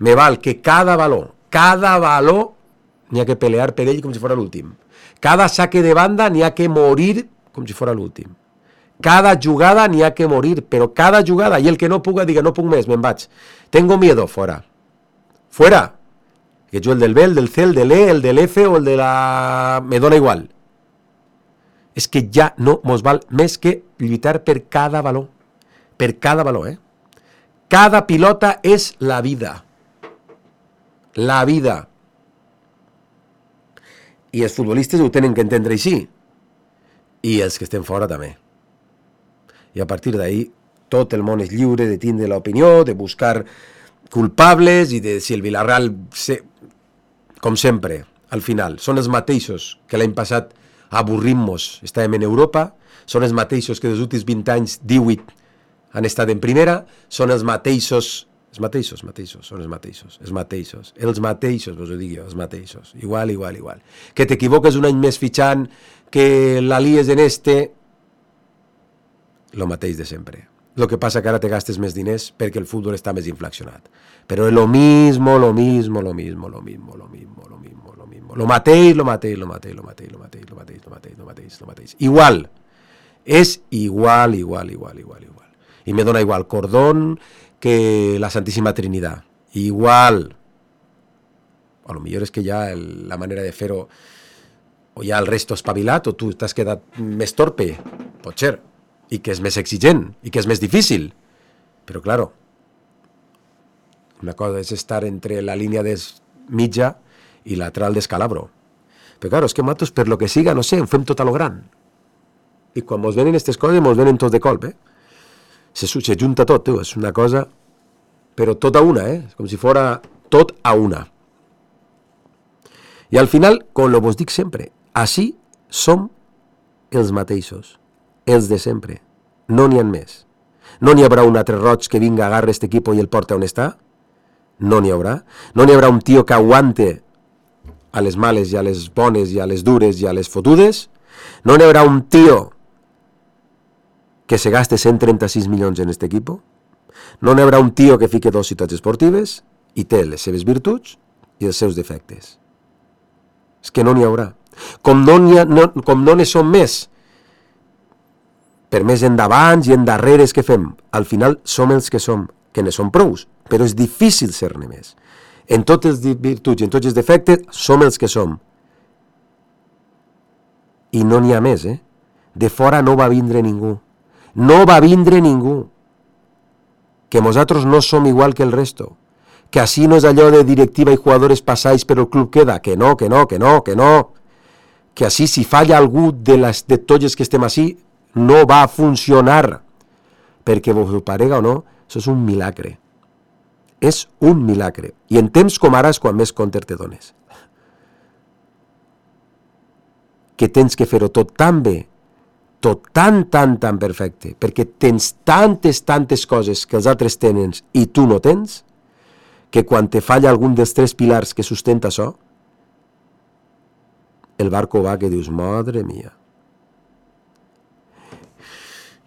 G: Me val que cada valor, cada valor, n'hi ha que pelear per ell com si fos l'últim. Cada saque de banda n'hi ha que morir com si fos l'últim. Cada jugada n'hi ha que morir, però cada jugada, i el que no puga diga, no puc més, me'n vaig. Tengo miedo, fora. Fuera. Que jo el del B, el del C, el de l'E, el de l'F o el de la... me dona igual. És que ja no mos val més que lluitar per cada valor. Per cada valor, eh? Cada pilota és la vida. La vida. I els futbolistes ho tenen que entendre així. I els que estem fora també. I a partir d'ahí tot el món és lliure de tindre l'opinió, de buscar culpables i de si el Villarreal, se, com sempre, al final, són els mateixos que l'any passat avorrim-nos, estàvem en Europa, són els mateixos que dels últims vint anys, divuit, han estat en primera, són els mateixos, els mateixos, mateixos, són els mateixos, els mateixos, els mateixos, vos ho dic jo, els mateixos, igual, igual, igual. Que t'equivoques un any més fitxant, que la lies en este, lo mateix de sempre. Lo que passa que ara te gastes més diners perquè el futbol està més inflacionat. Però és lo mismo, lo mismo, lo mismo, lo mismo, lo mismo, lo mismo, lo mismo. Lo mateix, lo mateix, lo mateix, lo mateix, lo mateix, lo mateix, lo mateix, lo mateix, lo mateix. Igual. És igual, igual, igual, igual, igual. I me dona igual Cordón que la Santíssima Trinidad. Igual. A lo millor és que ja el, la manera de fer-ho o ja el resto espavilat o tu t'has quedat més torpe. Pot ser. I que és més exigent, i que és més difícil. Però, claro, una cosa és estar entre la línia de mitja i lateral d'escalabro. Però, claro, és que nosaltres, per lo que siga, no sé, ho fem tot a lo gran. I quan mos venen aquestes coses, mos venen tots de colp, eh? Se, se junta tot, tu, és una cosa... Però tot a una, eh? Com si fora tot a una. I al final, com lo vos dic sempre, així som els mateixos. Els de sempre. No n'hi ha més. No n'hi haurà un altre roig que vinga, agarre este equipo i el porta on està? No n'hi haurà. No n'hi haurà un tio que aguante a les males i a les bones i a les dures i a les fotudes? No n'hi haurà un tio que se gaste cent trenta-sis milions en este equipo? No n'hi haurà un tio que fique dos ciutats esportives i té les seves virtuts i els seus defectes. És que no n'hi haurà. Com no n'hi ha, no, com no ne som més, per més endavant i endarreres que fem, al final som els que som, que ne som prous, però és difícil ser-ne més. En totes les virtuts i en tots els defectes, som els que som. I no n'hi ha més, eh? De fora no va vindre ningú. No va vindre ningú. Que nosaltres no som igual que el resto. Que així no és allò de directiva i jugadores passáis però el club queda. Que no, que no, que no, que no. Que així si falla algú de, les, de tots els que estem així, no va funcionar, perquè vos ho parega o no, això és un milagre. És un milagre. I en temps com ara és quan més compte te dones. Que tens que fer-ho tot tan bé, tot tan, tan, tan perfecte, perquè tens tantes, tantes coses que els altres tenen i tu no tens, que quan te falla algun dels tres pilars que sustenta això, el barco va que dius, madre mia.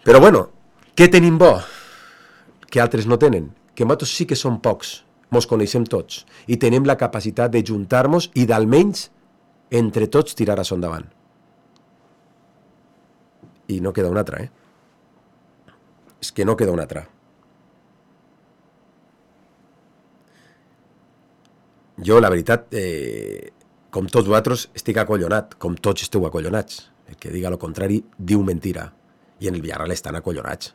G: Però bueno, què tenim bo? Que altres no tenen. Que nosaltres sí que som pocs, mos coneixem tots, i tenim la capacitat de juntar-nos i d'almenys entre tots tirar això endavant. I no queda una altra, eh? És que no queda una altra. Jo, la veritat, eh, com tots vosaltres, estic acollonat, com tots esteu acollonats. El que diga lo contrari, diu mentira. I en el Villarreal estan acollonats,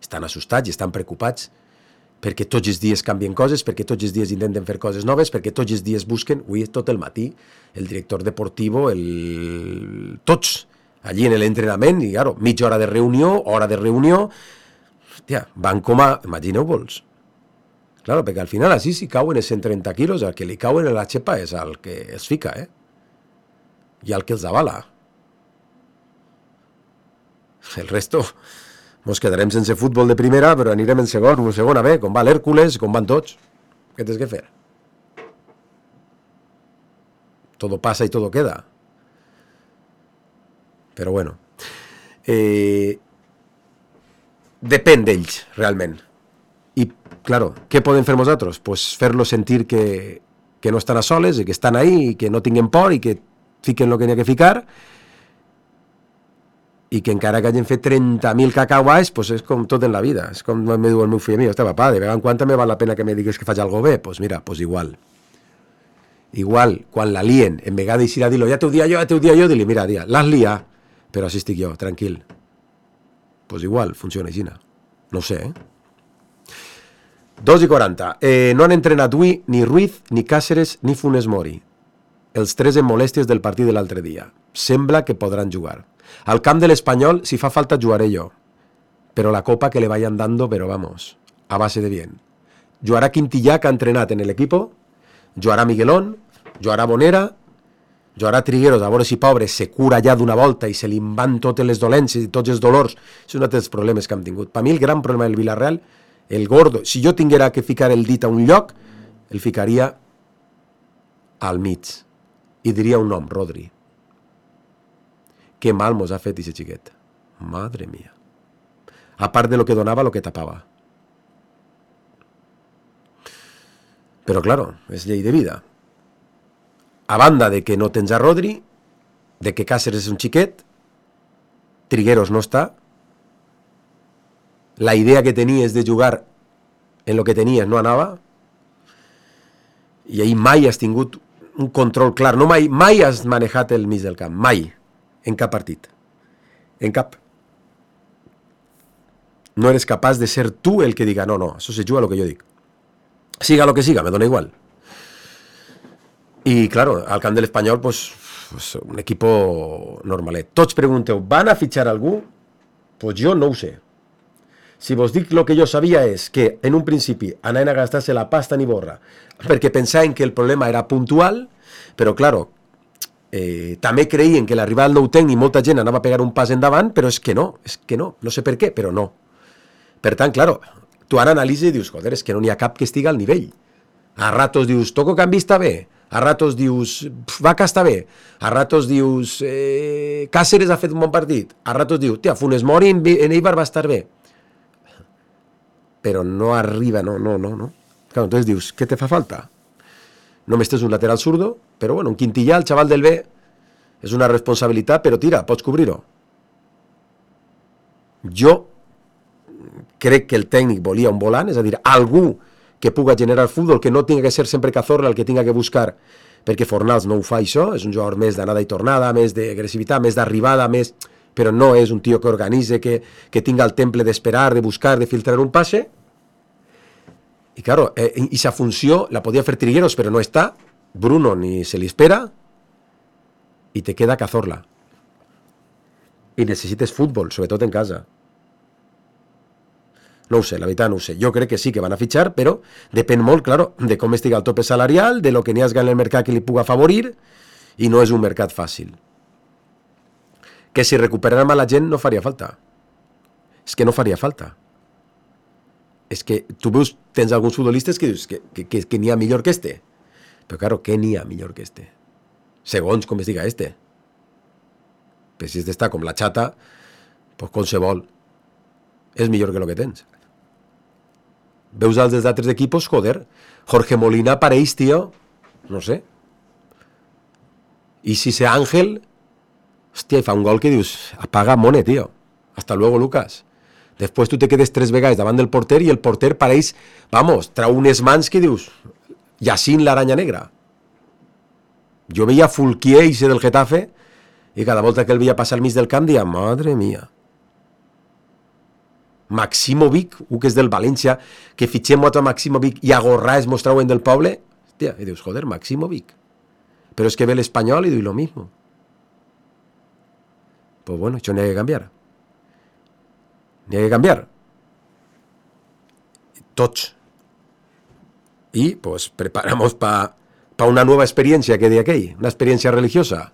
G: estan assustats i estan preocupats perquè tots els dies canvien coses, perquè tots els dies intenten fer coses noves, perquè tots els dies busquen, avui tot el matí, el director deportivo, el... tots, allí en l'entrenament, i claro, mitja hora de reunió, hora de reunió, hòstia, van com a... imagineu-vos. Claro, perquè al final així si cauen els cent trenta quilos, el que li cauen a la xepa és el que es fica, eh? I el que els avala. El resto, mos quedarem sense futbol de primera, però anirem en segon o segona B, com va l'Hèrcules, com van tots. Què tens que fer? Todo pasa y todo queda. Però bueno. eh, depèn d'ells, realment. I, claro, què podem fer nosaltres? Pues fer-los sentir que, que no estan a soles, i que estan ahí, i que no tinguin por, i que fiquen el que n'hi ha que ficar, i que encara que hagin fet trenta mil cacauais, pues és com tot en la vida. És com me diu el meu fill a mi, hòstia, papà, de vegades en quan també val la pena que me digues que faig algo bé? Pues mira, pues igual. Igual, quan la lien, en vegades d'eixir a dir-lo, ja t'ho dia jo, ja t'ho dia jo, dir-li, mira, dia, l'has liat, però així estic jo, tranquil. Pues igual, funciona així. No ho sé, eh? dos i quaranta. Eh, no han entrenat avui ni Ruiz, ni Cáceres, ni Funes Mori. Els tres en molèsties del partit de l'altre dia. Sembla que podran jugar. Al camp de l'Espanyol, si fa falta, jugaré yo. Pero la copa que le vayan dando, pero vamos, a base de bien. Jugará Quintillà, que ha entrenat en el equipo. Jugarà Miguelón. Jugarà Bonera. Jugarà Trigueros, a veure si pobre se cura ja d'una volta i se li van totes les dolències i tots els dolors. És un dels problemes que hem tingut. Per mi el gran problema del Villarreal, el gordo, si jo tinguera que ficar el dit a un lloc, el ficaria al mig. I diria un nom, Rodri. Que mal mos ha fet aquest xiquet. Madre mía. A part de lo que donava, lo que tapava. Però, claro, és llei de vida. A banda de que no tens a Rodri, de que Cáceres és un xiquet, Trigueros no està, la idea que tenies de jugar en lo que tenies no anava, i ahir mai has tingut un control clar. No mai, mai has manejat el mig del camp, mai. En cap partit. En cap. No eres capaç de ser tu el que diga, no, no, això se juga lo que jo dic. Siga lo que siga, me dona igual. I, claro, al camp de l'Espanyol, pues, pues, un equipo normalet. Tots pregunteu, ¿van a fichar algú? Pues jo no ho sé. Si vos dic lo que jo sabia és que, en un principi, anaven a gastar-se la pasta ni borra, perquè pensaven que el problema era puntual, però, claro, Eh, també creien que l'arribada del nou tècnic molta gent anava a pegar un pas endavant, però és que no, és que no, no sé per què, però no. Per tant, claro, tu ara analitzes i dius, joder, és que no n'hi ha cap que estiga al nivell. A ratos dius, Toco Canvi està bé, a ratos dius, Vaca està bé, a ratos dius, eh, Cáceres ha fet un bon partit, a ratos dius, tia, Funes Mori en, en Eibar va estar bé. Però no arriba, no, no, no, no. Claro, entonces dius, què te fa falta? Només tens un lateral zurdo, però bueno, un Quintillà, el xaval del B, és una responsabilitat, però tira, pots cobrir-ho. Jo crec que el tècnic volia un volant, és a dir, algú que puga generar futbol, que no tinga que ser sempre Cazorla el que tinga que buscar, perquè Fornals no ho fa això, és un jugador més d'anada i tornada, més d'agressivitat, més d'arribada, més... però no és un tio que organitze, que, que tinga el temple d'esperar, de buscar, de filtrar un passe. I, claro, eh, esa funció la podia fer Trigueros, però no està. Bruno ni se li espera. I te queda Cazorla. I necessites futbol, sobretot en casa. No ho sé, la veritat no ho sé. Jo crec que sí que van a fitxar, però depèn molt, claro, de com estiga el tope salarial, de lo que n'hi hagi en el mercat que li puga afavorir, i no és un mercat fàcil. Que si recuperaran a la gent no faria falta. És que no faria falta. És que tu veus, tens alguns futbolistes que dius que, que, que, que n'hi ha millor que este. Però, claro, què n'hi ha millor que este? Segons com es diga este. Però si este està com la xata, pues qualsevol és millor que el que tens. Veus els dels altres equipos, joder, Jorge Molina apareix, tio, no sé. I si se Ángel, hòstia, i fa un gol que dius, apaga mone, tio. Hasta luego, Lucas. Després tu te quedes tres vegades davant del porter i el porter pareix, vamos, trau unes mans que dius, Yacine l'aranya negra. Jo veia Fulquier i ser del Getafe i cada volta que el veia passar al mig del camp deia, madre mía. Maximovic, un que és del València, que fitxem a Maximovic i a Gorrà es mostraven del poble, hòstia, i dius, joder, Maximovic. Però és que ve l'Espanyol i diu lo mismo. Pues bueno, això n'hi ha que canviar. N'hi ha que canviar. Tots. Y pues preparamos para pa una nueva experiencia que de aquell, una experiència religiosa.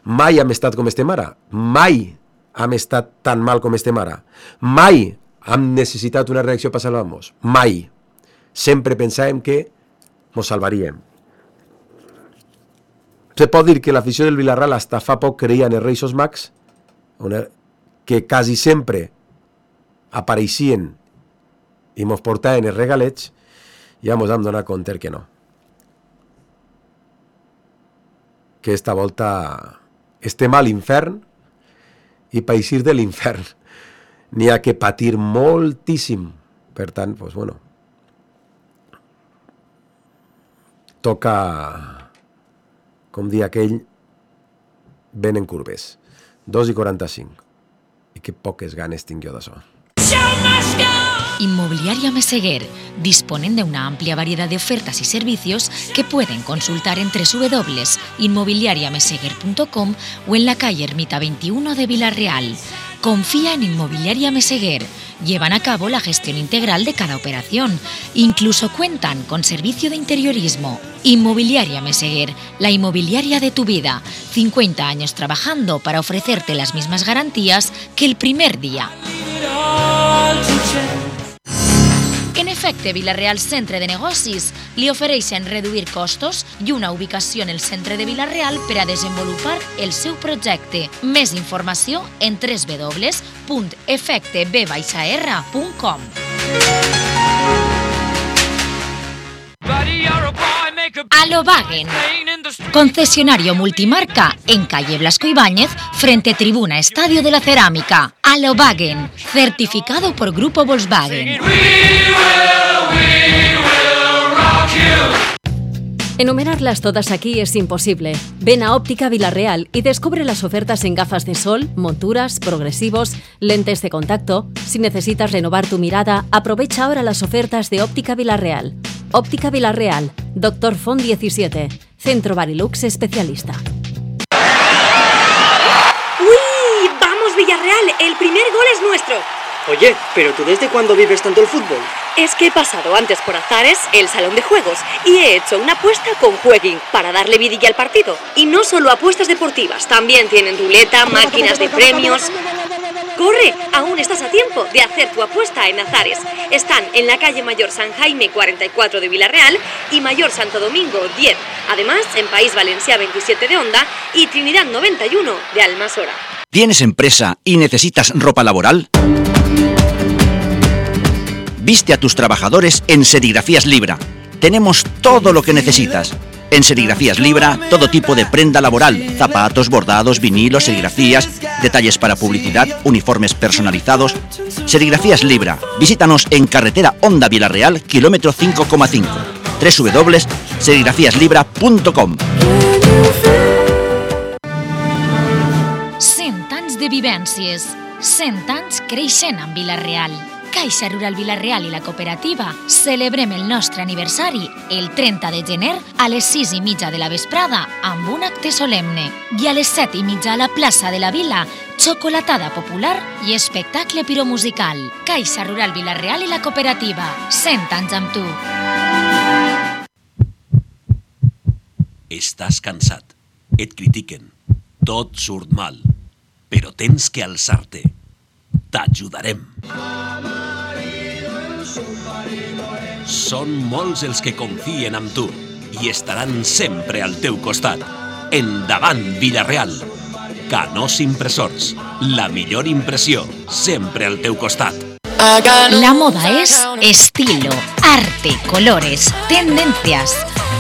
G: Mai hem estat com estem ara. Mai hem estat tan mal com estem ara. Mai hem necessitat una reacció per salvar-nos. Mai. Sempre pensàvem que ens salvaríem. Se pot dir que l'afició del Villarreal hasta fa poc creia en els Reixos Mags, que quasi sempre apareixien i mos portaven els regalets, ja mos vam donar compte que no. Que esta volta estem a l'infern i per eixir de l'infern n'hi ha que patir moltíssim. Per tant, doncs, bueno, toca, com dir aquell, venen curves. dos i quaranta-cinc. I que poques ganes tinc jo d'això.
A: Inmobiliaria Meseguer, disponen de una amplia variedad de ofertas y servicios que pueden consultar en doble u doble u doble u punto inmobiliaria meseguer punto com o en la calle Ermita veintiuno de Villarreal. Confía en Inmobiliaria Meseguer. Llevan a cabo la gestión integral de cada operación. Incluso cuentan con servicio de interiorismo. Inmobiliaria Meseguer, la inmobiliaria de tu vida. cincuenta años trabajando para ofrecerte las mismas garantías que el primer día. En efecte, Vila-real Centre de Negocis li ofereixen reduir costos i una ubicació en el centre de Vila-real per a desenvolupar el seu projecte. Més informació en doble u doble u doble u punt efecte b r punt com. Alobagen, concesionario multimarca en calle Blasco Ibáñez, frente Tribuna Estadio de la Cerámica. Alobagen, certificado por Grupo Volkswagen.
H: Enumerarlas todas aquí es imposible. Ven a Óptica Vila-real y descubre las ofertas en gafas de sol, monturas, progresivos, lentes de contacto. Si necesitas renovar tu mirada, aprovecha ahora las ofertas de Óptica Vila-real. Óptica Vila-real, Doctor Font diecisiete, Centro Barilux especialista.
I: ¡Uy! ¡Vamos Villarreal! ¡El primer gol es nuestro!
J: Oye, ¿pero tú desde cuándo vives tanto el fútbol?
I: Es que he pasado antes por Azares, el salón de juegos, y he hecho una apuesta con Jueguin para darle vidilla al partido. Y no solo apuestas deportivas, también tienen ruleta, máquinas de premios. ¡Corre! Aún estás a tiempo de hacer tu apuesta en Azares. Están en la calle Mayor San Jaime cuarenta y cuatro de Vila-real y Mayor Santo Domingo diez. Además, en País Valencià veintisiete de Onda y Trinidad noventa y uno de Almasora.
K: ¿Tienes empresa y necesitas ropa laboral? Viste a tus trabajadores en Serigrafías Libra. Tenemos todo lo que necesitas. En Serigrafías Libra, todo tipo de prenda laboral, zapatos, bordados, vinilos, serigrafías, detalles para publicidad, uniformes personalizados. Serigrafías Libra. Visítanos en carretera Onda Vila-real, kilómetro cinco coma cinco. doble u doble u doble u punto serigrafías libra punto com.
A: cent anys de vivències, cent anys creixent amb Vila-real. Caixa Rural Vila-real i la cooperativa celebrem el nostre aniversari el trenta de gener a les sis i mitja de la vesprada amb un acte solemne i a les set i mitja a la plaça de la Vila, xocolatada popular i espectacle piromusical. Caixa Rural Vila-real i la cooperativa, cent anys amb tu.
L: Estàs cansat, et critiquen, tot surt mal, però tens que alçar-te. T'ajudarem. Són molts els que confien en tu i estaran sempre al teu costat. Endavant, Vila-real. Canós Impressors, la millor impressió, sempre al teu costat.
A: La moda es estilo, arte, colores, tendencias.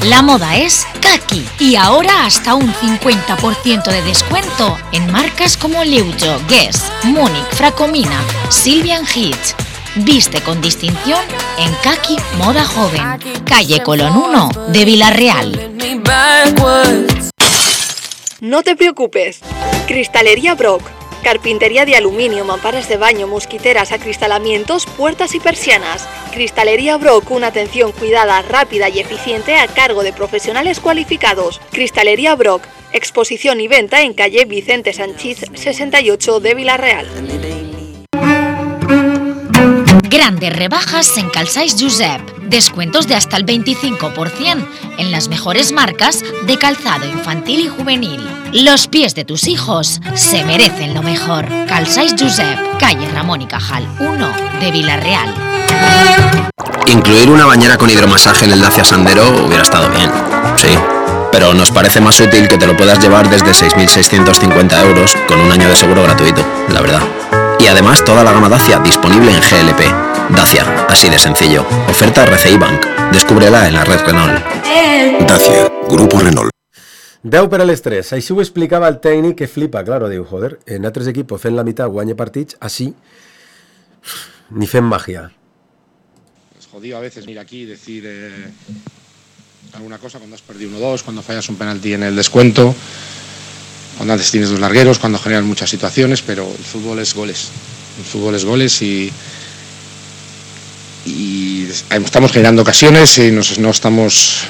A: La moda es Kaki y ahora hasta un cincuenta por ciento de descuento en marcas como Leujo, Guess, Múnich, Fracomina, Sylvian Hitch. Viste con distinción en Kaki Moda Joven, calle Colón uno de Vila-real.
I: No te preocupes. Cristalería Brock. Carpintería de aluminio, mamparas de baño, mosquiteras, acristalamientos, puertas y persianas. Cristalería Brock, una atención cuidada, rápida y eficiente a cargo de profesionales cualificados. Cristalería Brock, exposición y venta en calle Vicente Sanchís sesenta y ocho de Vila-real.
A: Grandes rebajas en Calçaix Josep. Descuentos de hasta el veinticinco por ciento en las mejores marcas de calzado infantil y juvenil. Los pies de tus hijos se merecen lo mejor. Calçaix Josep, calle Ramón y Cajal uno de Vila-real.
M: Incluir una bañera con hidromasaje en el Dacia Sandero hubiera estado bien, sí. Pero nos parece más útil que te lo puedas llevar desde seis mil seiscientos cincuenta euros con un año de seguro gratuito, la verdad. Y además toda la gama Dacia disponible en G L P. Dacia, así de sencillo. Oferta R C I Bank. Descúbrela en la red Renault.
N: Dacia, Grupo Renault.
G: deu per a les tres. Així ho explicava el tècnic, que flipa, claro, diu, joder, en altres equipos fent la meitat guanya partits, així ni fent màgia.
O: Es jodido a veces venir aquí y decir eh, alguna cosa cuando has perdido uno dos, cuando fallas un penalti en el descuento, cuando antes tienes dos largueros, cuando generan muchas situaciones, pero el fútbol es goles. El fútbol es goles y, y estamos generando ocasiones y nos, no estamos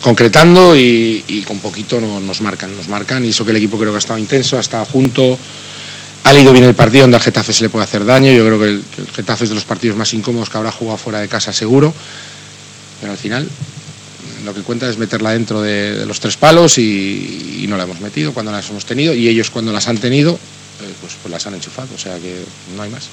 O: concretando y, y con poquito no, nos marcan, nos marcan y eso que el equipo creo que ha estado intenso, ha estado junto, ha leído bien el partido, donde al Getafe se le puede hacer daño. Yo creo que el, que el Getafe es de los partidos más incómodos que habrá jugado fuera de casa seguro, pero al final lo que cuenta es meterla dentro de, de los tres palos y, y no la hemos metido cuando las hemos tenido, y ellos cuando las han tenido eh, pues, pues las han enchufado, o sea que no hay más.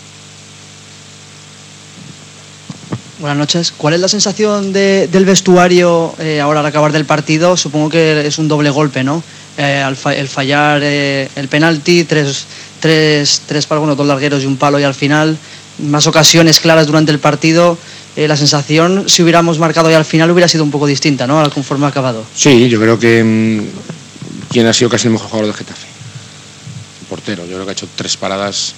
P: Buenas noches. ¿Cuál es la sensación de, del vestuario eh, ahora al acabar del partido? Supongo que es un doble golpe, ¿no? Eh, al fa el fallar eh, el penalti, tres, tres, tres palos, bueno, dos largueros y un palo, y al final más ocasiones claras durante el partido. Eh, la sensación, si hubiéramos marcado ya al final, hubiera sido un poco distinta, ¿no? Al conforme ha acabado.
O: Sí, yo creo que mmm, quien ha sido casi el mejor jugador del Getafe, el portero. Yo creo que ha hecho tres paradas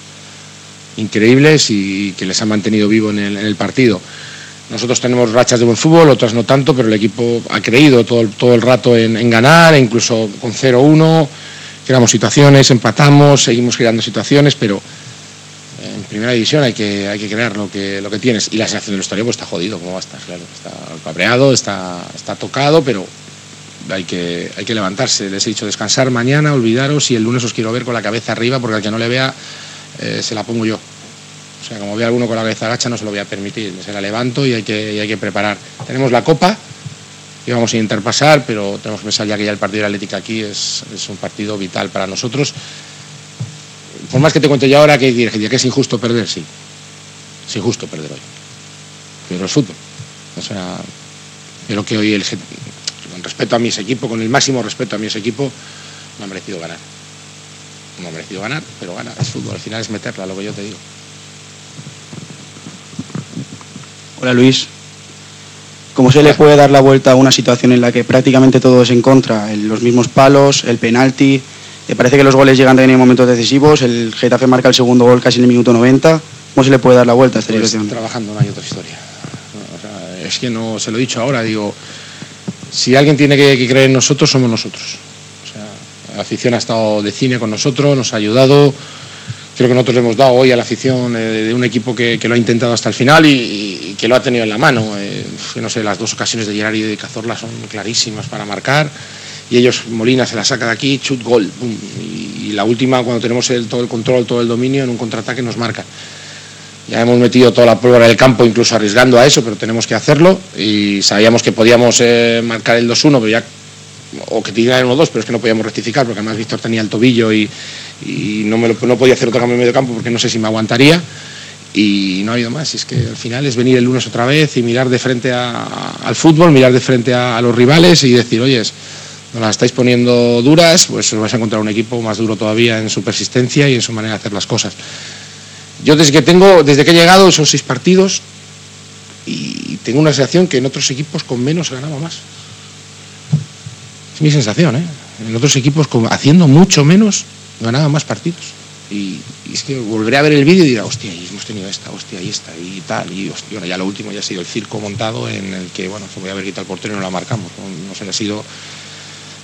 O: increíbles y que les han mantenido vivo en el, en el partido. Nosotros tenemos rachas de buen fútbol, otras no tanto, pero el equipo ha creído todo, todo el rato en, en ganar, e incluso con cero uno, creamos situaciones, empatamos, seguimos creando situaciones, pero en primera división hay que, hay que crear lo que, lo que tienes. Y la sensación del vestuario pues está jodido, ¿cómo va a estar? Claro, está cabreado, está, está tocado, pero hay que, hay que levantarse. Les he dicho descansar mañana, olvidaros, y el lunes os quiero ver con la cabeza arriba, porque al que no le vea eh, se la pongo yo. O sea, como vea alguno con la cabeza agacha, no se lo voy a permitir. Se la levanto y hay que, y hay que preparar. Tenemos la Copa y vamos a intentar pasar, pero tenemos que pensar ya que ya el partido de la Atlética aquí es, es un partido vital para nosotros. Por más que te cuente yo ahora que, que es injusto perder, sí. Es injusto perder hoy. Pero es fútbol. O sea, creo que hoy, el, con respeto a mi equipo, con el máximo respeto a mi equipo, no ha merecido ganar. No ha merecido ganar, pero gana. Es fútbol. Al final es meterla, lo que yo te digo.
Q: Hola Luis, ¿cómo se le puede dar la vuelta a una situación en la que prácticamente todo es en contra? El, los mismos palos, el penalti, me parece que los goles llegan también en momentos decisivos, el Getafe marca el segundo gol casi en el minuto noventa, ¿cómo se le puede dar la vuelta a esta
O: pues
Q: situación?
O: Trabajando, no hay otra historia. O sea, es que no, se lo he dicho ahora, digo, si alguien tiene que, que creer en nosotros, somos nosotros. O sea, la afición ha estado de cine con nosotros, nos ha ayudado. Creo que nosotros le hemos dado hoy a la afición eh, de un equipo que, que lo ha intentado hasta el final y, y que lo ha tenido en la mano. Eh, no sé, las dos ocasiones de Gerard y de Cazorla son clarísimas para marcar, y ellos, Molina se la saca de aquí, chut, gol, pum, y, y la última, cuando tenemos el, todo el control, todo el dominio, en un contraataque nos marcan. Ya hemos metido toda la pólvora del campo, incluso arriesgando a eso, pero tenemos que hacerlo, y sabíamos que podíamos eh, marcar el dos uno, pero ya, o que tiraran el uno dos, pero es que no podíamos rectificar, porque además Víctor tenía el tobillo y, y no, me lo, no podía hacer otro cambio en medio campo porque no sé si me aguantaría, y no ha habido más. Es que al final es venir el lunes otra vez y mirar de frente a, a, al fútbol, mirar de frente a, a los rivales y decir, oye, nos las estáis poniendo duras, pues os vais a encontrar un equipo más duro todavía en su persistencia y en su manera de hacer las cosas. Yo desde que tengo, desde que he llegado, son seis partidos y tengo una sensación que en otros equipos con menos se ganaba más. Es mi sensación, ¿eh? En otros equipos con, haciendo mucho menos ganaba más partidos. Y, y es que volveré a ver el vídeo y dirá, hostia, y hemos tenido esta, hostia, y esta, y tal, y hostia, bueno, ya lo último ya ha sido el circo montado en el que, bueno, se voy a haber quitado el portero y no la marcamos. No, no sé, ha sido,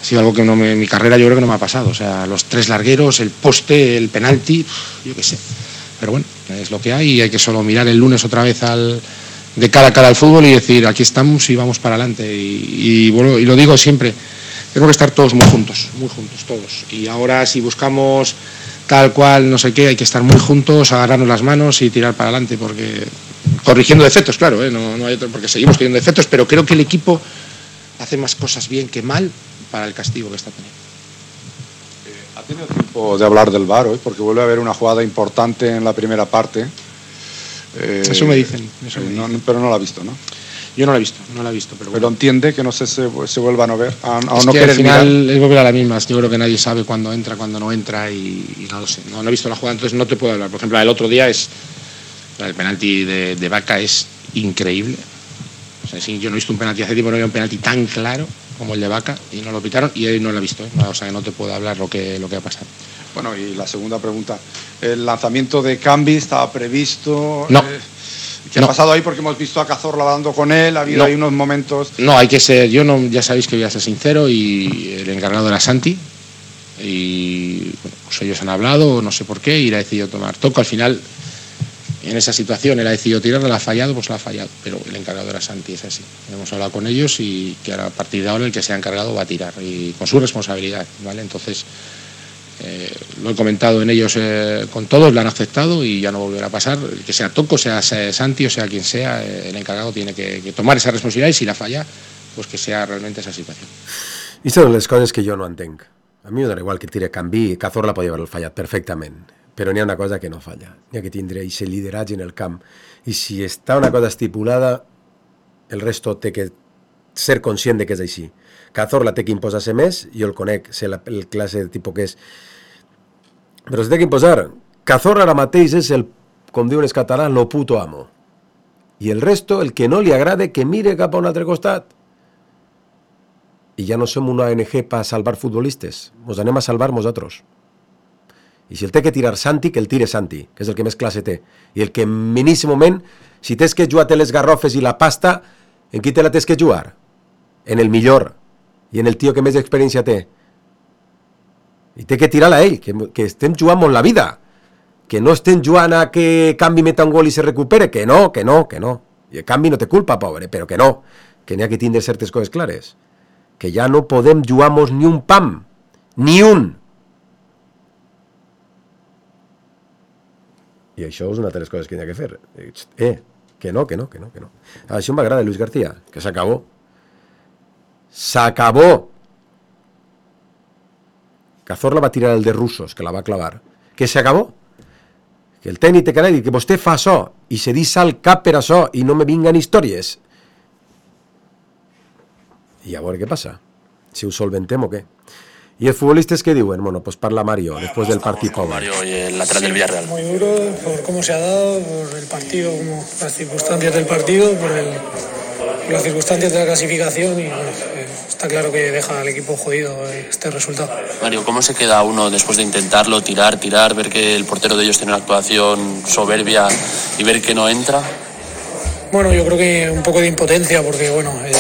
O: ha sido algo que no me, en mi carrera yo creo que no me ha pasado. O sea, los tres largueros, el poste, el penalti, yo qué sé. Pero bueno, es lo que hay y hay que solo mirar el lunes otra vez al, de cara a cara al fútbol y decir, aquí estamos y vamos para adelante. Y, y, bueno, y lo digo siempre, tenemos que estar todos muy juntos, muy juntos, todos. Y ahora si buscamos tal cual, no sé qué, hay que estar muy juntos, agarrarnos las manos y tirar para adelante, porque corrigiendo defectos, claro, ¿eh? no, no hay otro, porque seguimos teniendo defectos, pero creo que el equipo hace más cosas bien que mal para el castigo que está teniendo.
R: ¿Ha tenido tiempo de hablar del V A R hoy? Porque vuelve a haber una jugada importante en la primera parte. Eh,
O: eso me dicen. Eso
R: eh,
O: me
R: no,
O: dicen.
R: pero no la ha visto, ¿no?
O: Yo no la he visto, no la he visto. Pero,
R: Pero
O: bueno.
R: entiende que no se, se, se vuelvan a ver, a, a
O: Es
R: no
O: que
R: querer
O: al final
R: mirar.
O: es volver a la misma. Yo creo que nadie sabe cuándo entra, cuándo no entra y, y no lo sé. No, no he visto la jugada, entonces no te puedo hablar. Por ejemplo, el otro día es el penalti de, de Vaca es increíble. O sea, sí, yo no he visto un penalti hace tiempo, no había un penalti tan claro como el de Vaca y no lo pitaron y él no lo ha visto. ¿eh? O sea, que no te puedo hablar lo que, lo que ha pasado.
R: Bueno, y la segunda pregunta. ¿El lanzamiento de Cambi estaba previsto?
O: No.
R: Eh, ¿Qué
O: No.
R: ha pasado ahí? Porque hemos visto a Cazorla hablando con él, ha habido
O: No.
R: ahí unos momentos...
O: No, hay que ser, yo no, ya sabéis que voy a ser sincero y el encargado era Santi y bueno, pues ellos han hablado, no sé por qué, y él ha decidido tomar toco. Al final, en esa situación, él ha decidido tirarla, la ha fallado, pues la ha fallado, pero el encargado era Santi, es así. Hemos hablado con ellos y que ahora a partir de ahora el que sea encargado va a tirar y con su responsabilidad, ¿vale? Entonces, eh, lo he comentado en ellos eh, con todos, lo han aceptado y ya no volverá a pasar. El que sea Toco, sea Santi o sea quien sea, eh, el encargado tiene que, que tomar esa responsabilidad y si la falla, pues que sea realmente esa situación.
G: I són les coses que jo no entenc. A mi m'ho dona igual que tire Canvi, Cazorla podia haver-lo fallat perfectament, però n'hi ha una cosa que no falla, n'hi ha que tindre aquest lideratge en el camp, i si està una cosa estipulada, el resto té que ser conscient de que és així. Cazorla té que imposar-se més, jo el conec, sé la, el classe de tipus que és, però es té que imposar. Cazorla ara mateix és el, com diuen els catalans, lo puto amo. I el resto, el que no li agrade, que mire cap a un altre costat. I ja no som una O N G per salvar futbolistes, ens anem a salvar nosaltres. I si el té que tirar Santi, que el tire Santi, que és el que més classe té. I el que en miníssim moment, si tens que jugar les garrofes i la pasta, en qui te la tens que jugar? En el millor, i en el tio que més experiència té. I té que tirar-la a ell, que, que estem jugant molt la vida, que no estem jugant a que Canvi meta un gol i se recupere, que no, que no, que no. I el Canvi no té culpa, pobre, però que no, que n'hi ha que tindre certes coses clares. Que ja no podem jugar-nos ni un pam, ni un. I això és una de les coses que n'hi ha que fer. Eh, que no, que no, que no, que no. Això m'agrada, Luis García, que s'acabó. S'acabó. Cazorla va tirar el de Russos, que la va clavar. Que s'acabó. Que el tècnic té que dir que vostè fa això i se deixa el cap per això i no me vinguen històries. I a veure què passa. Si ho solventem o què. ¿Y els futbolistas qué diuen? Bueno, pues parla Mario, después del partido.
S: Con Mario y el lateral del Villarreal.
T: Muy duro por cómo se ha dado, por el partido, como las circunstancias del partido, por, el, por las circunstancias de la clasificación y bueno, eh, está claro que deja al equipo jodido este resultado.
S: Mario, ¿cómo se queda uno después de intentarlo, tirar, tirar, ver que el portero de ellos tiene una actuación soberbia y ver que no entra?
T: Bueno, yo creo que un poco de impotencia porque bueno, eh,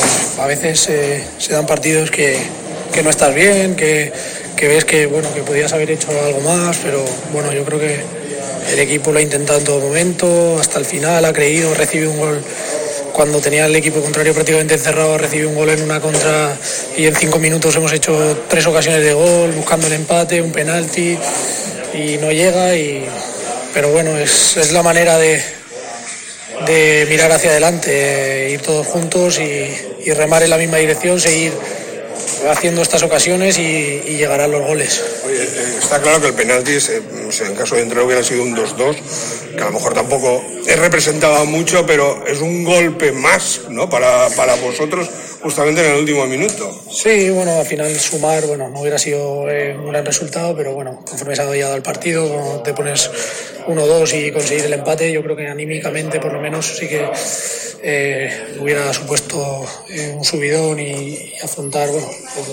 T: a veces eh, se dan partidos que que no estás bien, que, que ves que bueno que podías haber hecho algo más, pero bueno, yo creo que el equipo lo ha intentado en todo momento, hasta el final ha creído, recibe un gol cuando tenía el equipo contrario prácticamente encerrado, recibe un gol en una contra y en cinco minutos hemos hecho tres ocasiones de gol, buscando el empate, un penalti y no llega, y pero bueno, es, es la manera de, de mirar hacia adelante, ir todos juntos y, y remar en la misma dirección, seguir haciendo estas ocasiones y, y llegarán los goles.
U: Oye, eh, está claro que el penalti, eh, no sé, en caso de entrar hubiera sido un dos dos, que a lo mejor tampoco es representado mucho, pero es un golpe más, ¿no? Para, para vosotros, justamente en el último minuto.
T: Sí, bueno, al final sumar, bueno, no hubiera sido eh, un gran resultado, pero bueno, conforme se ha dado el partido, cuando te pones uno dos y conseguir el empate, yo creo que anímicamente por lo menos sí que eh, hubiera supuesto eh, un subidón y, y afrontar, bueno,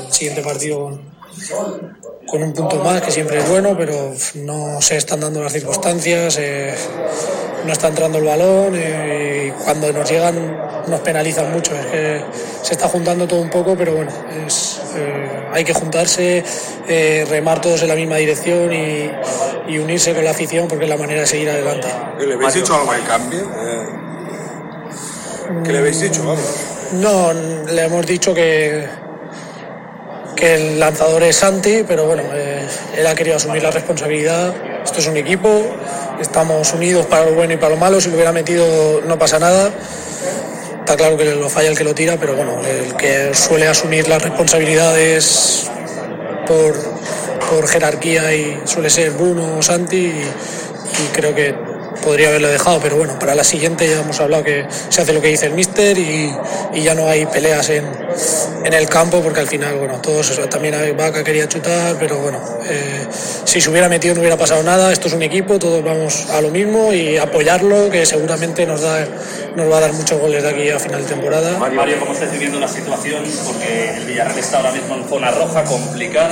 T: el siguiente partido con, con un punto más, que siempre es bueno, pero no se están dando las circunstancias, eh, no está entrando el balón, eh, y cuando nos llegan nos penalizan mucho. Es que se está juntando todo un poco, pero bueno, es, eh, hay que juntarse, eh, remar todos en la misma dirección y, y unirse con la afición, porque es la manera de seguir adelante.
U: ¿Le habéis dicho algo de cambio? Eh, ¿Qué le habéis dicho? Vamos.
T: No, le hemos dicho que que el lanzador es Santi, pero bueno, eh, él ha querido asumir la responsabilidad. Esto es un equipo, estamos unidos para lo bueno y para lo malo. Si lo hubiera metido no pasa nada. Está claro que lo falla el que lo tira, pero bueno, el que suele asumir las responsabilidades por, por jerarquía y suele ser Bruno o Santi, y, y creo que podría haberlo dejado, pero bueno, para la siguiente ya hemos hablado que se hace lo que dice el míster y, y ya no hay peleas en, en el campo, porque al final, bueno, todos, también Vaca quería chutar, pero bueno, eh, si se hubiera metido no hubiera pasado nada. Esto es un equipo, todos vamos a lo mismo y apoyarlo, que seguramente nos da nos va a dar muchos goles de aquí a final de temporada.
B: Mario, ¿cómo estás viviendo la situación? Porque el Villarreal está ahora mismo en zona roja complicada.